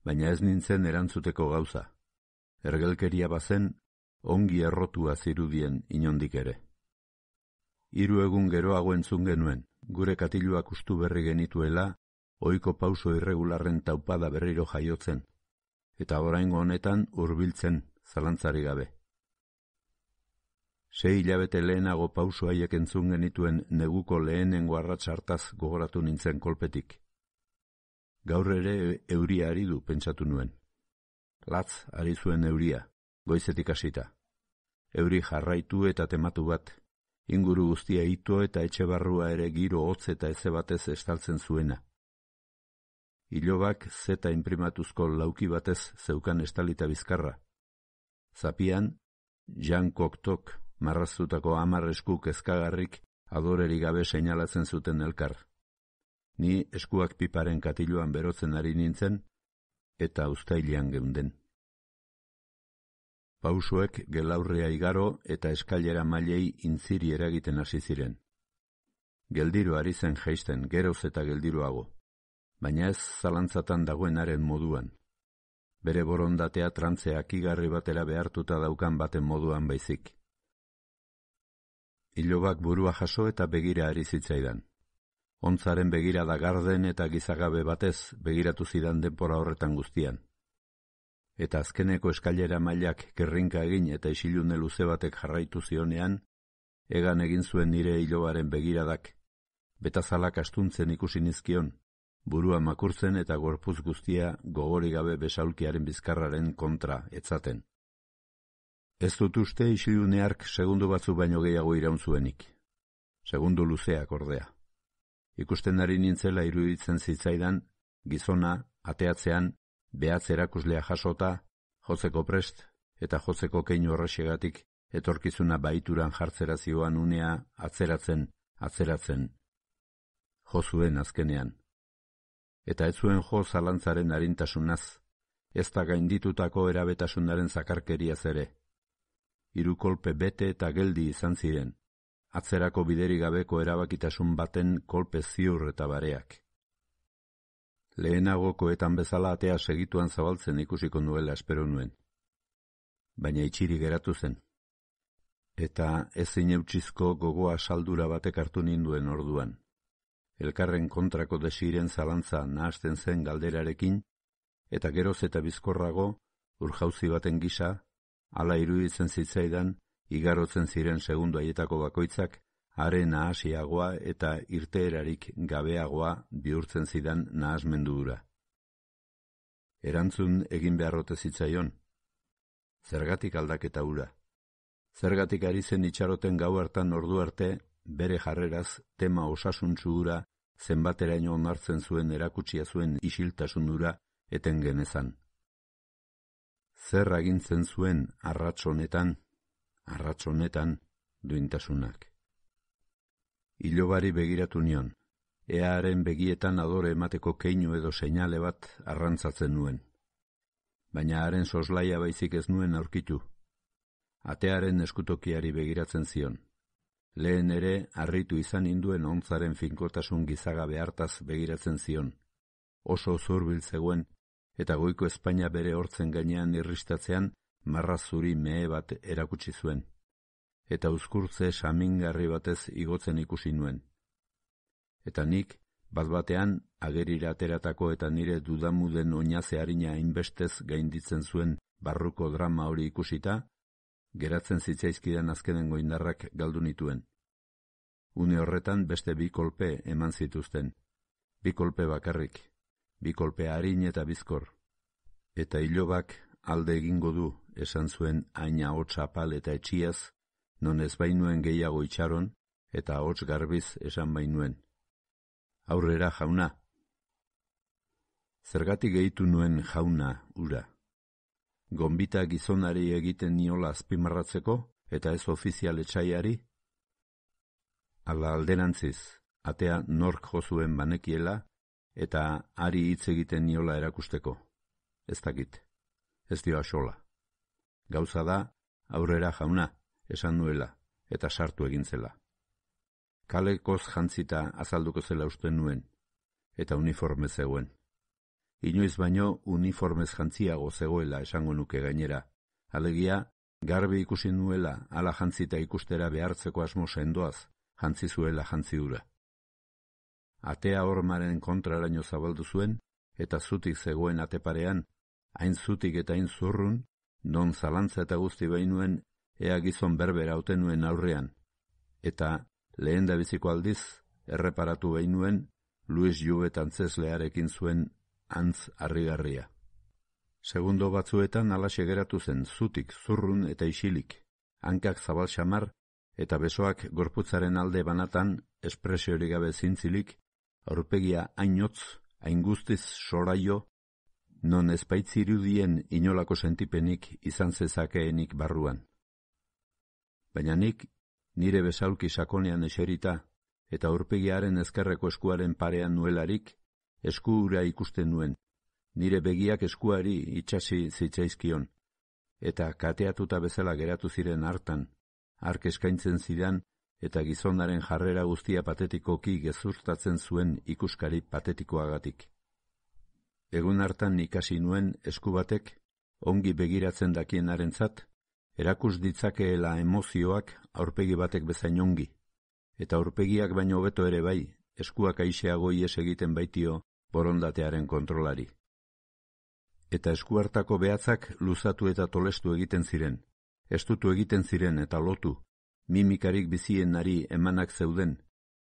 baina ez nintzen erantzuteko gauza. Ergelkeria bazen, ongi errotua zirudien inondik ere. Hiru egun geroago entzun genuen, gure katiluak ustu berri genituela, ohiko pauso irregularren taupada berriro jaiotzen, eta oraingo honetan hurbiltzen, zalantzari gabe. Sei hilabete lehenago pauso haiek entzun genituen neguko lehenengo arrats hartaz gogoratu nintzen kolpetik. Gaur ere euria ari du pentsatu nuen. Latz ari zuen euria, goizetik hasita. Euri jarraitu eta tematu bat, inguru guztia ito eta etxe barrua ere giro hotz eta eze batez estaltzen zuena. Ilobak zeta inprimatuzko lauki batez zeukan estalita bizkarra. Zapian, Jean Cocteau marraztutako hamar esku kezkagarrik adorerik gabe seinalatzen zuten elkar. Ni eskuak piparen katiluan berotzen ari nintzen, eta uztailean geunden. Pausoek gelaurrea igaro eta eskailera mailei intziri eragiten hasi ziren. Geldiro ari zen jaisten, geroz eta geldiroago, baina ez zalantzatan dagoenaren moduan. Bere borondatea trantzeak igarri batera behartuta daukan baten moduan baizik. Ilobak burua jaso eta begira ari zitzaidan. Ontzaren begirada garden eta gizagabe batez begiratu zidan denbora horretan guztian. Eta azkeneko eskailera mailak kerrinka egin eta isilune luze batek jarraitu zionean, egan egin zuen nire ilobaren begiradak, betazalak astuntzen ikusi nizkion, burua makurtzen eta gorputz guztia gogori gabe besaulkiaren bizkarraren kontra etzaten. Ez dut uste isilune hark segundu batzu baino gehiago iraun zuenik. Segundu luzeak ordea. Ikusten ari nintzela iruditzen zitzaidan, gizona, ateatzean, behatz erakuslea jasota, jotzeko prest eta jotzeko keinu horrexegatik etorkizuna baituran jartzera zioan unea atzeratzen, atzeratzen. Jo zuen azkenean. Eta ez zuen jo zalantzaren arintasunaz, ez da gainditutako erabetasunaren zakarkeriaz ere. Hiru kolpe bete eta geldi izan ziren, atzerako bideri gabeko erabakitasun baten kolpe ziur eta bareak. Lehenagokoetan bezala atea segituan zabaltzen ikusiko nuela espero nuen. Baina itxiri geratu zen. Eta ezin eutxizko gogoa saldura batek hartu ninduen orduan. Elkarren kontrako desiren zalantza nahasten zen galderarekin, eta geroz eta bizkorrago, urjauzi baten gisa, hala iruditzen zitzaidan, igarotzen ziren segundu haietako bakoitzak, haren nahasiagoa eta irteerarik gabeagoa bihurtzen zidan nahasmendura. Erantzun egin beharrote zitzaion. Zergatik aldaketa hura. Zergatik ari zen itxaroten gau hartan ordu arte, bere jarreraz tema osasuntsu hura zenbateraino onartzen zuen erakutsia zuen isiltasun hura eten genezan. Zer agintzen zuen arrats honetan, arrats honetan duintasunak. Ilobari begiratu nion, earen begietan adore emateko keinu edo seinale bat arrantzatzen nuen. Baina haren soslaia baizik ez nuen aurkitu. Atearen eskutokiari begiratzen zion. Lehen ere harritu izan induen ontzaren finkotasun gizagabe hartaz begiratzen zion. Oso zurbil zegoen, eta goiko Espainia bere hortzen gainean irristatzean marra zuri mehe bat erakutsi zuen. Eta uzkurtze samingarri batez igotzen ikusi nuen. Eta nik, bat batean, agerira ateratako eta nire dudamuden oinaze harina hainbestez gainditzen zuen barruko drama hori ikusita, geratzen zitzaizkidan azkenengo indarrak galdu nituen. Une horretan beste bi kolpe eman zituzten. Bi kolpe bakarrik, bi kolpe harin eta bizkor. Eta ilobak alde egingo du, esan zuen haina hots apal eta etxiaz, non ez bainuen gehiago itxaron, eta hots garbiz esan bainuen. Aurrera jauna. Zergatik gehitu nuen jauna ura. Gonbita gizonari egiten niola azpimarratzeko eta ez ofizial etxaiari? Ala alderantziz, atea nork jozuen banekiela eta ari hitz egiten niola erakusteko. Ez dakit, ez dio axola. Gauza da, aurrera jauna, esan nuela, eta sartu egin zela. Kalekoz jantzita azalduko zela uste nuen, eta uniforme zegoen. Inoiz baino uniformez jantziago zegoela esango nuke gainera. Alegia, garbi ikusi nuela ala jantzita ikustera behartzeko asmo sendoaz, jantzi zuela jantziura. Atea hormaren kontraraino zabaldu zuen, eta zutik zegoen ateparean, hain zutik eta hain zurrun, non zalantza eta guzti bainuen ea gizon berbera hauten nuen aurrean. Eta lehen da biziko aldiz, erreparatu bainuen, Luis Jouvet antzeslearekin zuen antz harrigarria. Segundo batzuetan alaxe geratu zen, zutik, zurrun eta isilik, hankak zabal xamar eta besoak gorputzaren alde banatan espresiorik gabe zintzilik, aurpegia hainotz, hain guztiz soraio, non ezpaitzirudien inolako sentipenik izan zezakeenik barruan. Baina nik, nire besaulki sakonean eserita, eta aurpegiaren ezkerreko eskuaren parean nuelarik, esku ura ikusten nuen, nire begiak eskuari itxasi zitzaizkion, eta kateatuta bezala geratu ziren hartan, hark eskaintzen zidan, eta gizonaren jarrera guztia patetikoki gezurtatzen zuen ikuskari patetikoagatik. Egun hartan ikasi nuen esku batek, ongi begiratzen dakienarentzat, erakus ditzakeela emozioak aurpegi batek bezain ongi, eta aurpegiak baino hobeto ere bai, eskuak aixeago ies egiten baitio borondatearen kontrolari. Eta esku hartako behatzak luzatu eta tolestu egiten ziren, estutu egiten ziren eta lotu, mimikarik bizien nari emanak zeuden,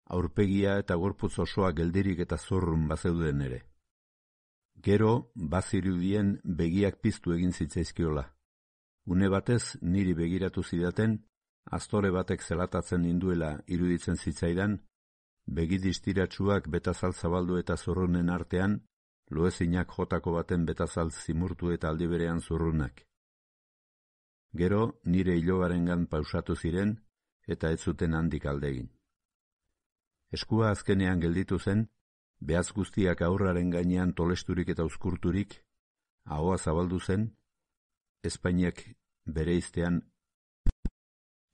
aurpegia eta gorputz osoa geldirik eta zorrun bazeuden ere. Gero, bazirudien begiak piztu egin zitzaizkiola. Une batez niri begiratu zidaten, aztore batek zelatatzen ninduela iruditzen zitzaidan, begidistiratsuak betazal zabaldu eta zurrunen artean, loezinak jotako baten betazal zimurtu eta aldiberean zurrunak. Gero nire ilobarengan pausatu ziren, eta ez zuten handik aldegin. Eskua azkenean gelditu zen, behaz guztiak aurraren gainean tolesturik eta uzkurturik, ahoa zabaldu zen, Espainiak bere iztean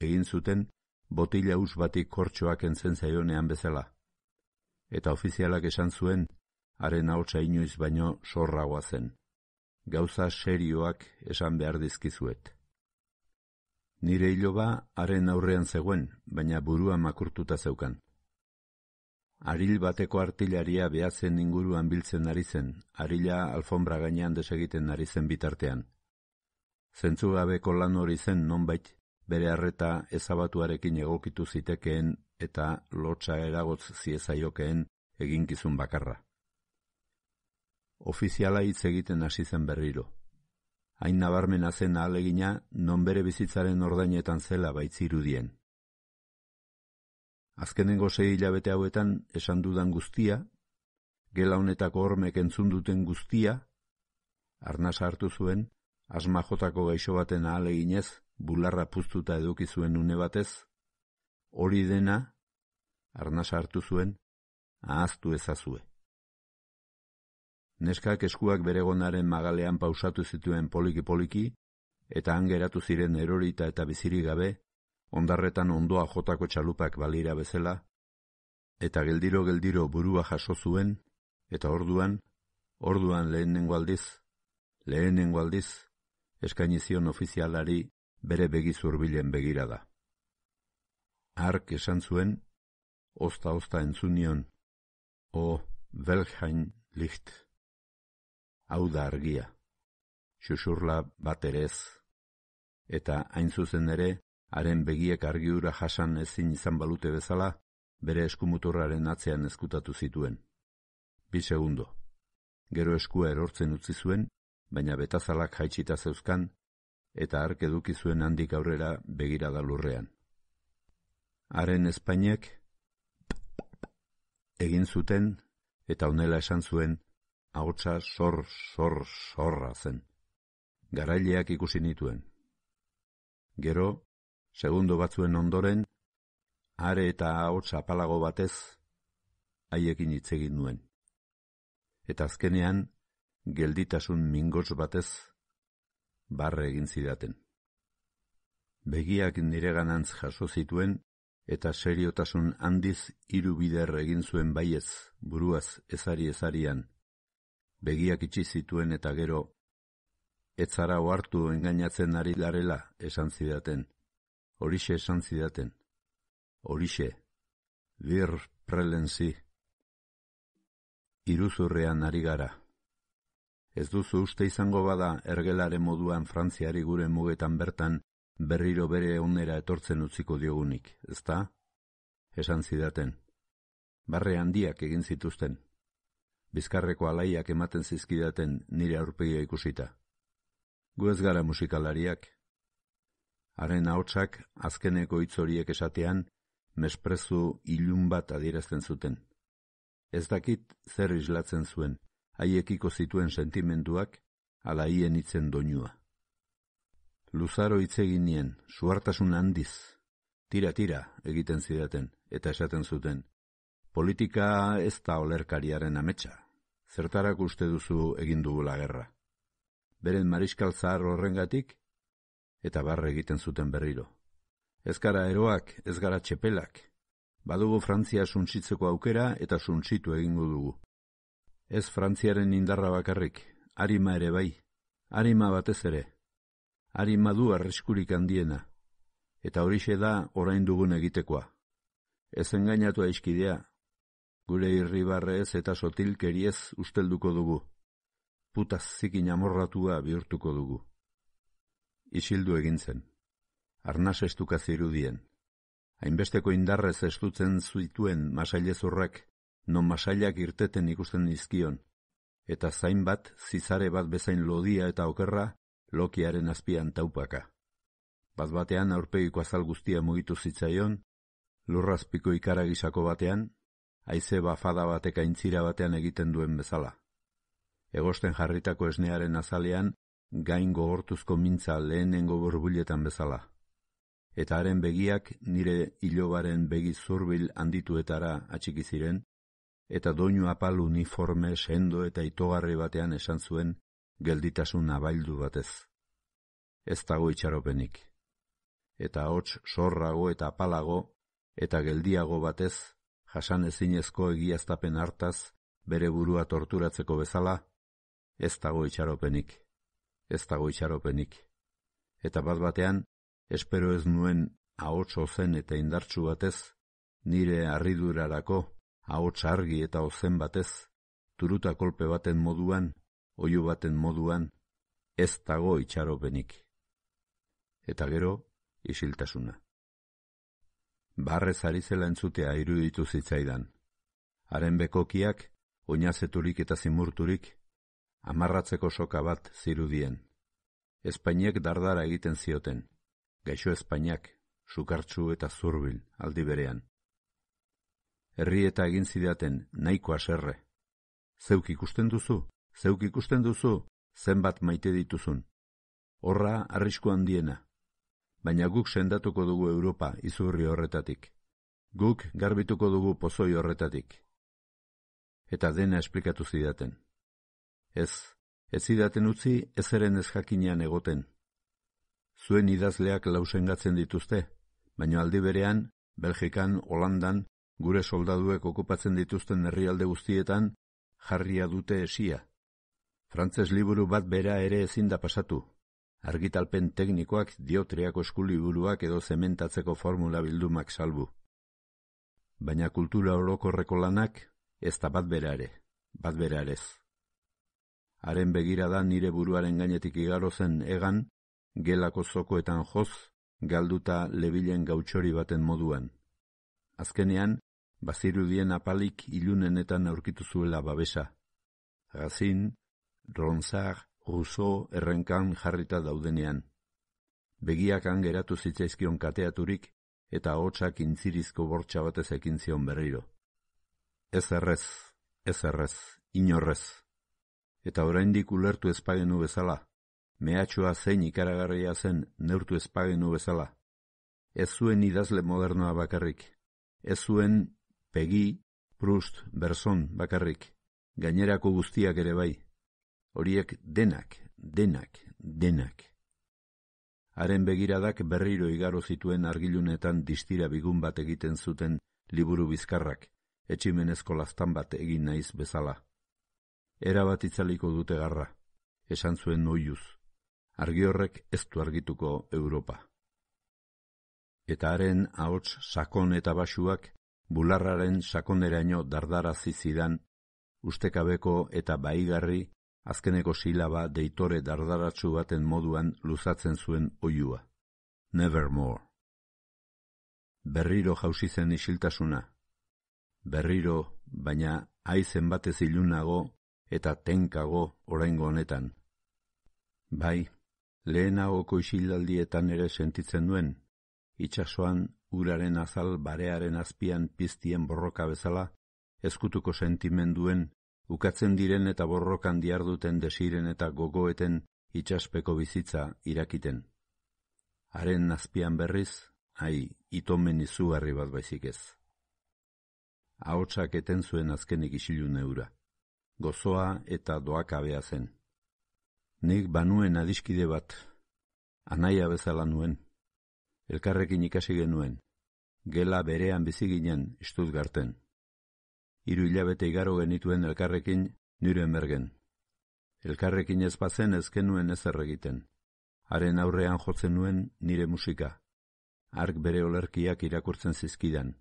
egin zuten botila us batik kortxoak entzen zaionean bezala, eta ofizialak esan zuen, haren ahotsa inoiz baino sorragoa zen. Gauza serioak esan behar dizkizuet. Nire iloba haren aurrean zegoen, baina burua makurtuta zeukan. Aril bateko artilaria behatzen inguruan biltzen ari zen, arila alfombra gainean desegiten ari zen bitartean. Zentzugabeko lan hori zen nonbait, bere arreta ezabatuarekin egokitu zitekeen eta lotsa eragotz ziezaiokeen eginkizun bakarra. Ofiziala hitz egiten hasi zen berriro. Hain nabarmena zen ahalegina non bere bizitzaren ordainetan zela baitzirudien. Azkenengo sei hilabete hauetan esan dudan guztia, gela honetako hormek entzun duten guztia, Arnasa hartu zuen, asma jotako gaixo baten ahaleginez, bularra puztuta eduki zuen une batez, hori dena, arnasa hartu zuen, ahaztu ezazue. Neskak eskuak beregonaren magalean pausatu zituen poliki-poliki, eta han geratu ziren erorita eta bizirik gabe, ondarretan ondoa jotako txalupak balira bezala, eta geldiro-geldiro burua jaso zuen, eta orduan, orduan lehenengo aldiz, lehenengo aldiz, eskaini zion ofizialari bere begi zurbilen begirada. Hark esan zuen, ozta-ozta entzunion, o welch Licht. Hau da argia, xuxurla bat ere ez, eta hain zuzen ere, haren begiek argiura jasan ezin izan balute bezala, bere eskumuturraren atzean ezkutatu zituen. Bi segundo. Gero eskua erortzen utzi zuen, baina betazalak jaitsita zeuzkan, eta hark eduki zuen handik aurrera begirada lurrean. Haren ezpainek egin zuten, eta honela esan zuen, ahotsa sor, sor, sorra zen. Garaileak ikusi nituen. Gero, segundo batzuen ondoren, are eta ahots apalago batez, haiekin hitz egin nuen. Eta azkenean, gelditasun mingots batez, barre egin zidaten. Begiak nireganantz jaso zituen, eta seriotasun handiz hiru bider egin zuen baiez, buruaz ezari-ezarian. Begiak itxi zituen eta gero, ez zara ohartu engainatzen ari garela esan zidaten. Horixe esan zidaten. Horixe, wir prelenzi. Iruzurrean ari gara. Ez duzu uste izango bada ergelaren moduan Frantziari gure mugetan bertan berriro bere onera etortzen utziko diogunik, ezta? Esan zidaten. Barre handiak egin zituzten. Bizkarreko alaiak ematen zizkidaten nire aurpegia ikusita. Gu ez gara musikalariak. Haren ahotsak azkeneko hitz horiek esatean, mesprezu ilun bat adierazten zuten. Ez dakit zer islatzen zuen, haiekiko zituen sentimenduak, ala hien hitzen doinua. Luzaro hitz egin nien, suhartasun handiz, tira-tira egiten zidaten, eta esaten zuten, politika ez da olerkariaren ametsa, zertarak uste duzu egin dugula gerra. Beren mariskal zahar horrengatik, eta barre egiten zuten berriro. Ez gara eroak, ez gara txepelak, badugu Frantzia suntsitzeko aukera eta suntsitu egingo dugu. Ez Frantziaren indarra bakarrik, arima ere bai, arima batez ere, arima du arriskurik handiena, eta horixe da orain dugun egitekoa. Ez engainatu aiskidea, gure irribarrez eta sotilkeriez ustelduko dugu, putaz zikin amorratua bihurtuko dugu. Isildu egin zen, arnas estuka zirudien, hainbesteko indarrez estutzen zituen masailezurrak, non masailak irteten ikusten dizkion, eta zain bat, zizare bat bezain lodia eta okerra, lokiaren azpian taupaka. Bat-batean aurpegiko azal guztia mugitu zitzaion, lurrazpiko ikaragisako batean, haize bafada batek aintzira batean egiten duen bezala. Egosten jarritako esnearen azalean, gain gogortuzko mintza lehenengo burbuletan bezala. Eta haren begiak nire ilobaren begi zurbil handituetara atxiki ziren, eta doinu apal uniforme sendo eta itogarri batean esan zuen gelditasun abaildu batez. Ez dago itxaropenik. Eta hots sorrago eta apalago, eta geldiago batez, jasan ezinezko egiaztapen hartaz, bere burua torturatzeko bezala, ez dago itxaropenik. Ez dago itxaropenik. Eta bat batean, espero ez nuen ahots ozen eta indartsu batez, nire harridurarako, ahots argi eta ozen batez, turuta kolpe baten moduan, oihu baten moduan, ez dago itxaropenik. Eta gero, isiltasuna. Barrez ari zela entzutea iruditu zitzaidan. Haren bekokiak, oinazeturik eta zimurturik, amarratzeko soka bat zirudien. Espainek dardara egiten zioten, gaixo espainak, sukartsu eta zurbil aldi berean. Herri eta egin zidaten nahiko haserre. Zeuk ikusten duzu, zeuk ikusten duzu, zenbat maite dituzun. Horra arrisku handiena. Baina guk sendatuko dugu Europa izurri horretatik. Guk garbituko dugu pozoi horretatik. Eta dena esplikatu zidaten. Ez, ez zidaten utzi ezeren ez jakinean egoten. Zuen idazleak lausengatzen dituzte, baina aldi berean, Belgikan, Holandan, gure soldaduek okupatzen dituzten herrialde guztietan, jarria dute esia. Frantses liburu bat bera ere ezin da pasatu. Argitalpen teknikoak, diotriako eskuliburuak edo zementatzeko formula bildumak salbu. Baina kultura orokorreko lanak ez da bat bera ere, bat bera erez. Haren begirada nire buruaren gainetik igaro zen egan, gelako zokoetan joz, galduta lebilen gautxori baten moduan. Azkenean, bazirudien apalik ilunenetan aurkitu zuela babesa. Racine, Ronsard, Rousseau errenkan jarrita daudenean. Begiak geratu zitzaizkion kateaturik eta hotsak intzirizko bortxa batez ekin zion berriro. Ez errez, ez errez, inorrez. Eta oraindik ulertu ezpagenu bezala, mehatxoa zein ikaragarria zen neurtu ezpagenu bezala. Ez zuen idazle modernoa bakarrik, ez zuen Pegi, Proust, Berson bakarrik, gainerako guztiak ere bai. Horiek denak, denak, denak. Haren begiradak berriro igaro zituen argilunetan distira bigun bat egiten zuten liburu bizkarrak, etximenezko laztan bat egin naiz bezala. Era bat itzaliko dute garra, esan zuen oiuz, argi horrek ez du argituko Europa. Eta haren ahots sakon eta basuak, bularraren sakoneraino dardarazi zidan, ustekabeko eta baigarri, azkeneko silaba deitore dardaratsu baten moduan luzatzen zuen oiua. Nevermore. Berriro jausi zen isiltasuna. Berriro, baina aizen batez ilunago eta tenkago oraingo honetan. Bai, lehenagoko isildaldietan ere sentitzen duen, itsasoan uraren azal barearen azpian piztien borroka bezala, ezkutuko sentimenduen, ukatzen diren eta borrokan diarduten desiren eta gogoeten itsaspeko bizitza irakiten. Haren azpian berriz, ai, itomen izugarri bat baizik ez. Ahotsak eten zuen azkenik isilu neura. Gozoa eta doakabea zen. Nik banuen adiskide bat, anaia bezala nuen. Elkarrekin ikasi genuen, gela berean bizi ginen Stuttgarten. Hiru hilabete igaro genituen elkarrekin Nürnbergen. Elkarrekin ez bazen ez genuen ezer egiten. Haren aurrean jotzen nuen nire musika. Hark bere olerkiak irakurtzen zizkidan.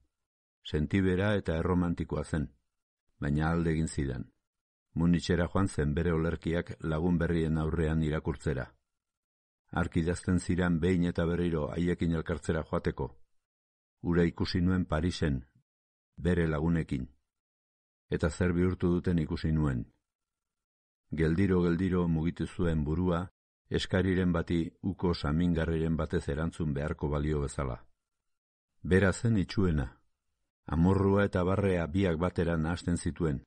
Sentibera eta erromantikoa zen, baina alde egin zidan. Munitxera joan zen bere olerkiak lagun berrien aurrean irakurtzera. Hark idazten ziran behin eta berriro haiekin elkartzera joateko. Ura ikusi nuen Parisen, bere lagunekin. Eta zer bihurtu duten ikusi nuen. Geldiro-geldiro mugitu zuen burua, eskariren bati uko samingarriren batez erantzun beharko balio bezala. Bera zen itxuena. Amorrua eta barrea biak batera nahasten zituen.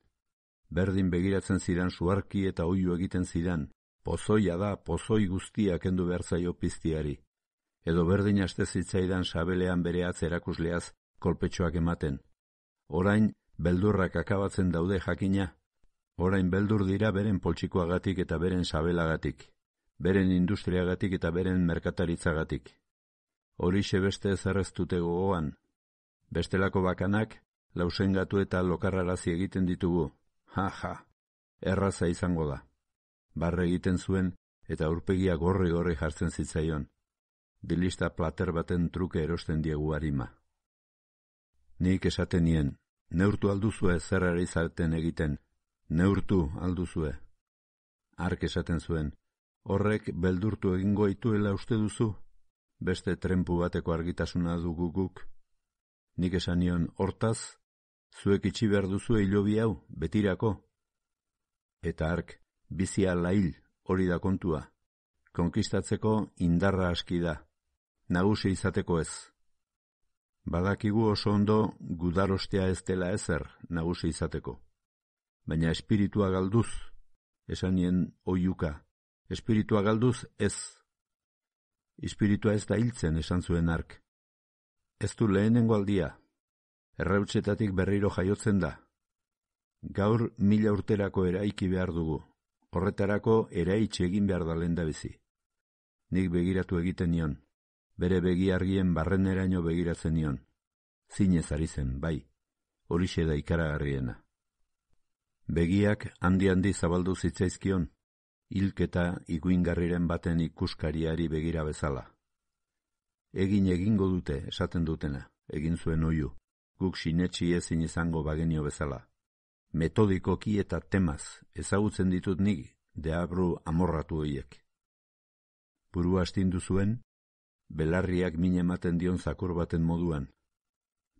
Berdin begiratzen zidan suarki eta oihu egiten zidan, pozoia da pozoi guztia kendu behar zaio piztiari. Edo berdin aste zitzaidan sabelean bere atz erakusleaz kolpetxoak ematen. Orain, beldurrak akabatzen daude jakina. Orain beldur dira beren poltsikoagatik eta beren sabelagatik, beren industriagatik eta beren merkataritzagatik. Horixe beste ezerreztute gogoan. Bestelako bakanak, lausengatu eta lokarrarazi egiten ditugu. Ha, ha, erraza izango da. Barre egiten zuen eta aurpegia gorri-gorri jartzen zitzaion. Dilista plater baten truke erosten diegu harima. Nik esaten nien, neurtu alduzue zerrari zareten egiten, neurtu alduzue. Hark esaten zuen, horrek beldurtu egingo ituela uste duzu, beste trenpu bateko argitasuna dugu guk. Nik esan nion, hortaz, zuek itxi behar duzu hilobi hau, betirako. Eta hark, bizia lail hori da kontua. Konkistatzeko indarra aski da, nagusi izateko ez. Badakigu oso ondo gudarostea ez dela ezer nagusi izateko. Baina espiritua galduz, esan nien oiuka, Espiritua galduz ez. Espiritua ez da hiltzen, esan zuen hark. Ez du lehenengo aldia. Errautsetatik berriro jaiotzen da. Gaur mila urterako eraiki behar dugu. Horretarako eraitxe egin behar da lehendabizi. Nik begiratu egiten nion. Bere begi argien barreneraino begiratzen nion. Zinez ari zen, bai. Horixe da ikaragarriena. Begiak handi-handi zabaldu zitzaizkion, hilketa iguingarriren baten ikuskariari begira bezala. Egin egingo dute, esaten dutena, egin zuen oihu, guk sinetsi ezin izango bagenio bezala. Metodikoki eta temaz, ezagutzen ditut nik, deabru amorratu horiek. Burua astindu zuen, belarriak min ematen dion zakur baten moduan.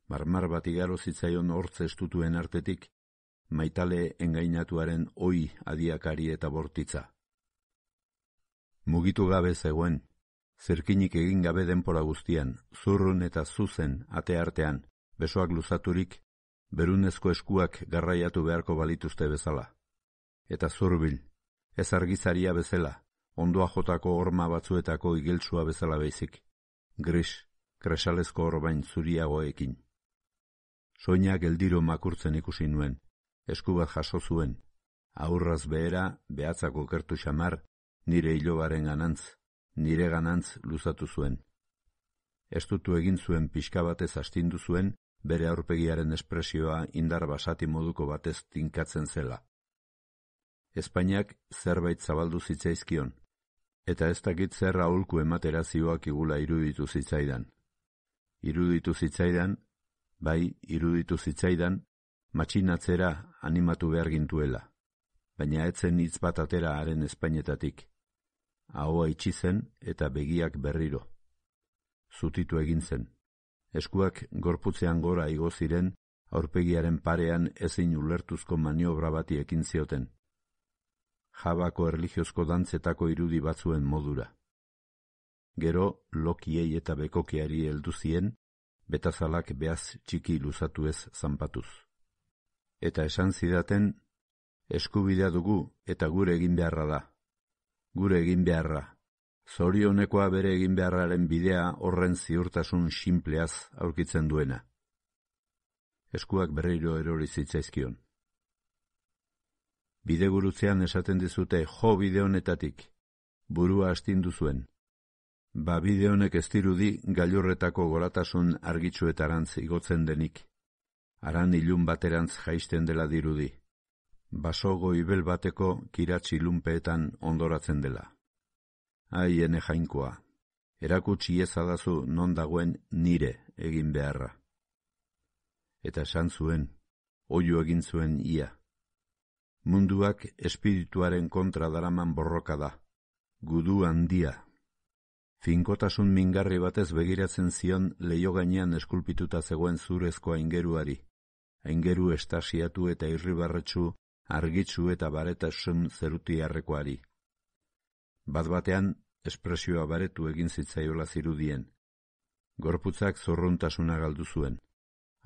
Marmar bat igaro zitzaion hortze estutuen artetik, maitale engainatuaren oi adiakari eta bortitza. Mugitu gabe zegoen, zerkinik egin gabe denpora guztian, zurrun eta zuzen ate artean, besoak luzaturik, berunezko eskuak garraiatu beharko balituzte bezala. Eta zurbil, ez argizaria bezala, ondoa jotako horma batzuetako igeltsua bezala baizik, gris, kresalezko orbain zuriagoekin. Soinak eldiro makurtzen ikusi nuen, esku bat jaso zuen, aurraz behera, behatzako kertu xamar, nire ilobaren ganantz, nire ganantz luzatu zuen. Estutu egin zuen pixka batez astindu zuen, bere aurpegiaren espresioa indar basati moduko batez tinkatzen zela. Espainiak zerbait zabaldu zitzaizkion, eta ez dakit zer aholku ematera zioak igula iruditu zitzaidan. Iruditu zitzaidan, bai, iruditu zitzaidan, matxinatzera animatu behar gintuela, baina etzen hitz bat atera haren Espainetatik. Ahoa itxi zen eta begiak berriro. Zutitu egin zen. Eskuak gorputzean gora igo ziren, aurpegiaren parean ezin ulertuzko maniobra bati ekin zioten. Jabako erlijiozko dantzetako irudi batzuen modura. Gero, lokiei eta bekokiari heldu zien, betazalak behaz txiki luzatu ez zanpatuz. Eta esan zidaten, eskubidea dugu eta gure egin beharra da. Gure egin beharra. Zorionekoa bere egin beharraren bidea horren ziurtasun sinpleaz aurkitzen duena. Eskuak berriro erori zitzaizkion. Bidegurutzean esaten dizute jo bide honetatik, burua astindu zuen. Ba bide honek ez dirudi gailurretako goratasun argitsuetarantz igotzen denik. Aran ilun baterantz jaisten dela dirudi. Basogo ibel bateko kiratsi ilunpeetan ondoratzen dela. Ai, ene jainkoa, erakutsi ezadazu non dagoen nire egin beharra. Eta esan zuen, oihu egin zuen ia. Munduak espirituaren kontra daraman borroka da, gudu handia. Finkotasun mingarri batez begiratzen zion leiho gainean eskulpituta zegoen zurezko aingeruari, aingeru estasiatu eta irribarretsu, argitsu eta baretasun zerutiarrekoari. Bat-batean, espresioa baretu egin zitzaiola zirudien. Gorputzak zorruntasuna galdu zuen.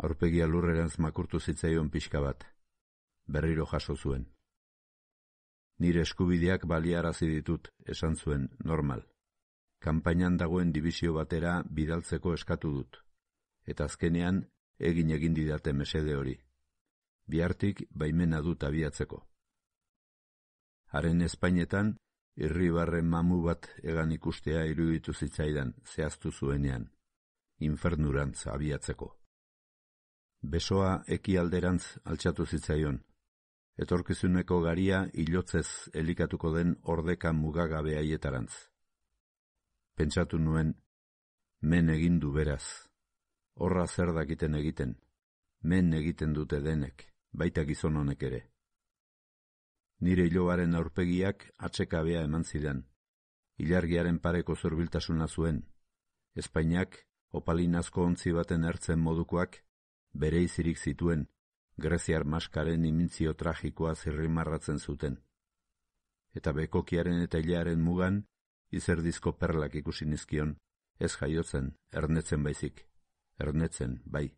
Aurpegia lurrerantz makurtu zitzaion pixka bat. Berriro jaso zuen. Nire eskubideak baliarazi ditut, esan zuen, normal. Kanpainan dagoen dibisio batera bidaltzeko eskatu dut. Eta azkenean, egin egin didate mesede hori. Bihartik baimena dut abiatzeko. Haren Espainetan, irribarren mamu bat egan ikustea iruditu zitzaidan, zehaztu zuenean, infernurantz abiatzeko. Besoa ekialderantz altxatu zitzaion, etorkizuneko garia ilotzez elikatuko den ordeka mugagabe haietarantz. Pentsatu nuen, men egin du beraz, horra zer dakiten egiten, men egiten dute denek, baita gizon honek ere. Nire ilobaren aurpegiak atsekabea eman zidan. Ilargiaren pareko zurbiltasuna zuen. Espainiak, opalinazko ontzi baten ertzen modukoak, bere izirik zituen, greziar maskaren imintzio tragikoa zirrimarratzen zuten. Eta bekokiaren eta hilearen mugan, izerdizko perlak ikusi nizkion, ez jaiotzen, ernetzen baizik. Ernetzen, bai.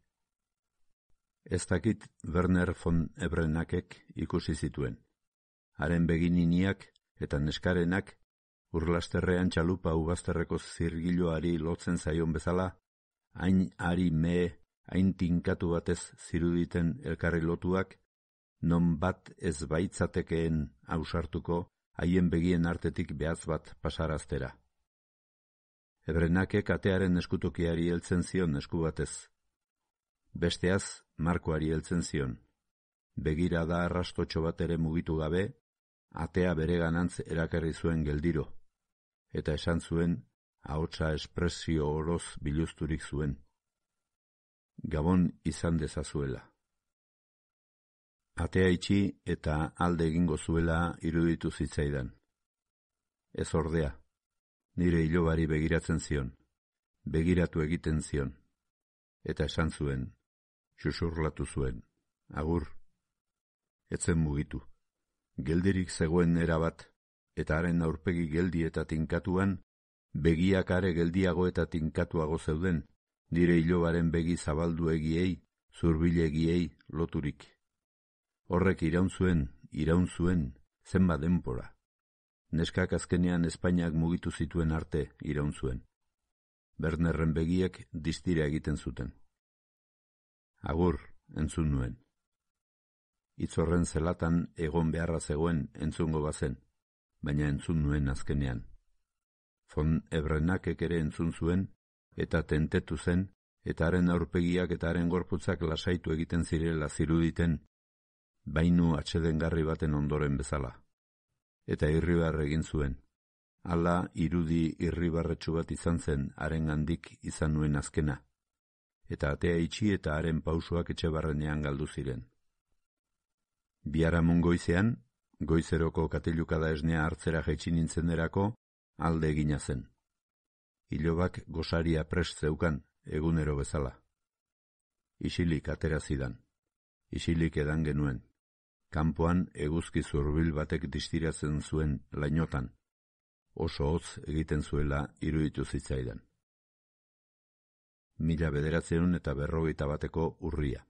Ez dakit Werner von Ebrenakek ikusi zituen. Haren begininiak eta neskarenak Urlasterrean txalupa ubazterreko zirgiloari lotzen zaion bezala, hain ari mee, hain tinkatu batez ziruditen elkarri lotuak, non bat ez baitzatekeen ausartuko, haien begien artetik behatz bat pasaraztera. Ebrenakek atearen eskutokiari heltzen zion esku batez. Besteaz, Markoari heltzen zion. Begira da arrastotxo bat ere mugitu gabe, atea bere ganantz erakarri zuen geldiro, eta esan zuen, ahotsa espresio oroz biluzturik zuen. Gabon izan dezazuela. Atea itxi eta alde egingo zuela iruditu zitzaidan. Ez ordea, nire ilobari begiratzen zion, begiratu egiten zion, eta esan zuen, xuxurlatu zuen, agur, etzen mugitu. Geldirik zegoen erabat, eta haren aurpegi geldi eta tinkatuan, begiak are geldiago eta tinkatuago zeuden, nire ilobaren begi zabalduegiei, zurbilegiei loturik. Horrek iraun zuen, iraun zuen, zenba denpora. Neskak azkenean Espainiak mugitu zituen arte iraun zuen. Bernerren begiek distira egiten zuten. Agur, entzun nuen. Itzorren zelatan egon beharra zegoen entzungo bazen, baina entzun nuen azkenean. Von Ebrenakek ere entzun zuen, eta tentetu zen, eta haren aurpegiak eta haren gorputzak lasaitu egiten zirela ziruditen, bainu atsedengarri baten ondoren bezala. Eta irribar egin zuen. Hala irudi irribarretsu bat izan zen haren handik izan nuen azkena, eta atea itxi eta haren pausoak etxe barrenean galdu ziren. Biharamun goizean, goizeroko katilukada esnea hartzera jaitsi nintzenerako alde egina zen. Ilobak gosaria prest zeukan, egunero bezala. Isilik atera zidan. Isilik edan genuen. Kanpoan eguzki zurbil batek distiratzen zuen lainotan. Oso hotz egiten zuela iruditu zitzaidan. Mila bederatzeun eta berrogeita bateko urria.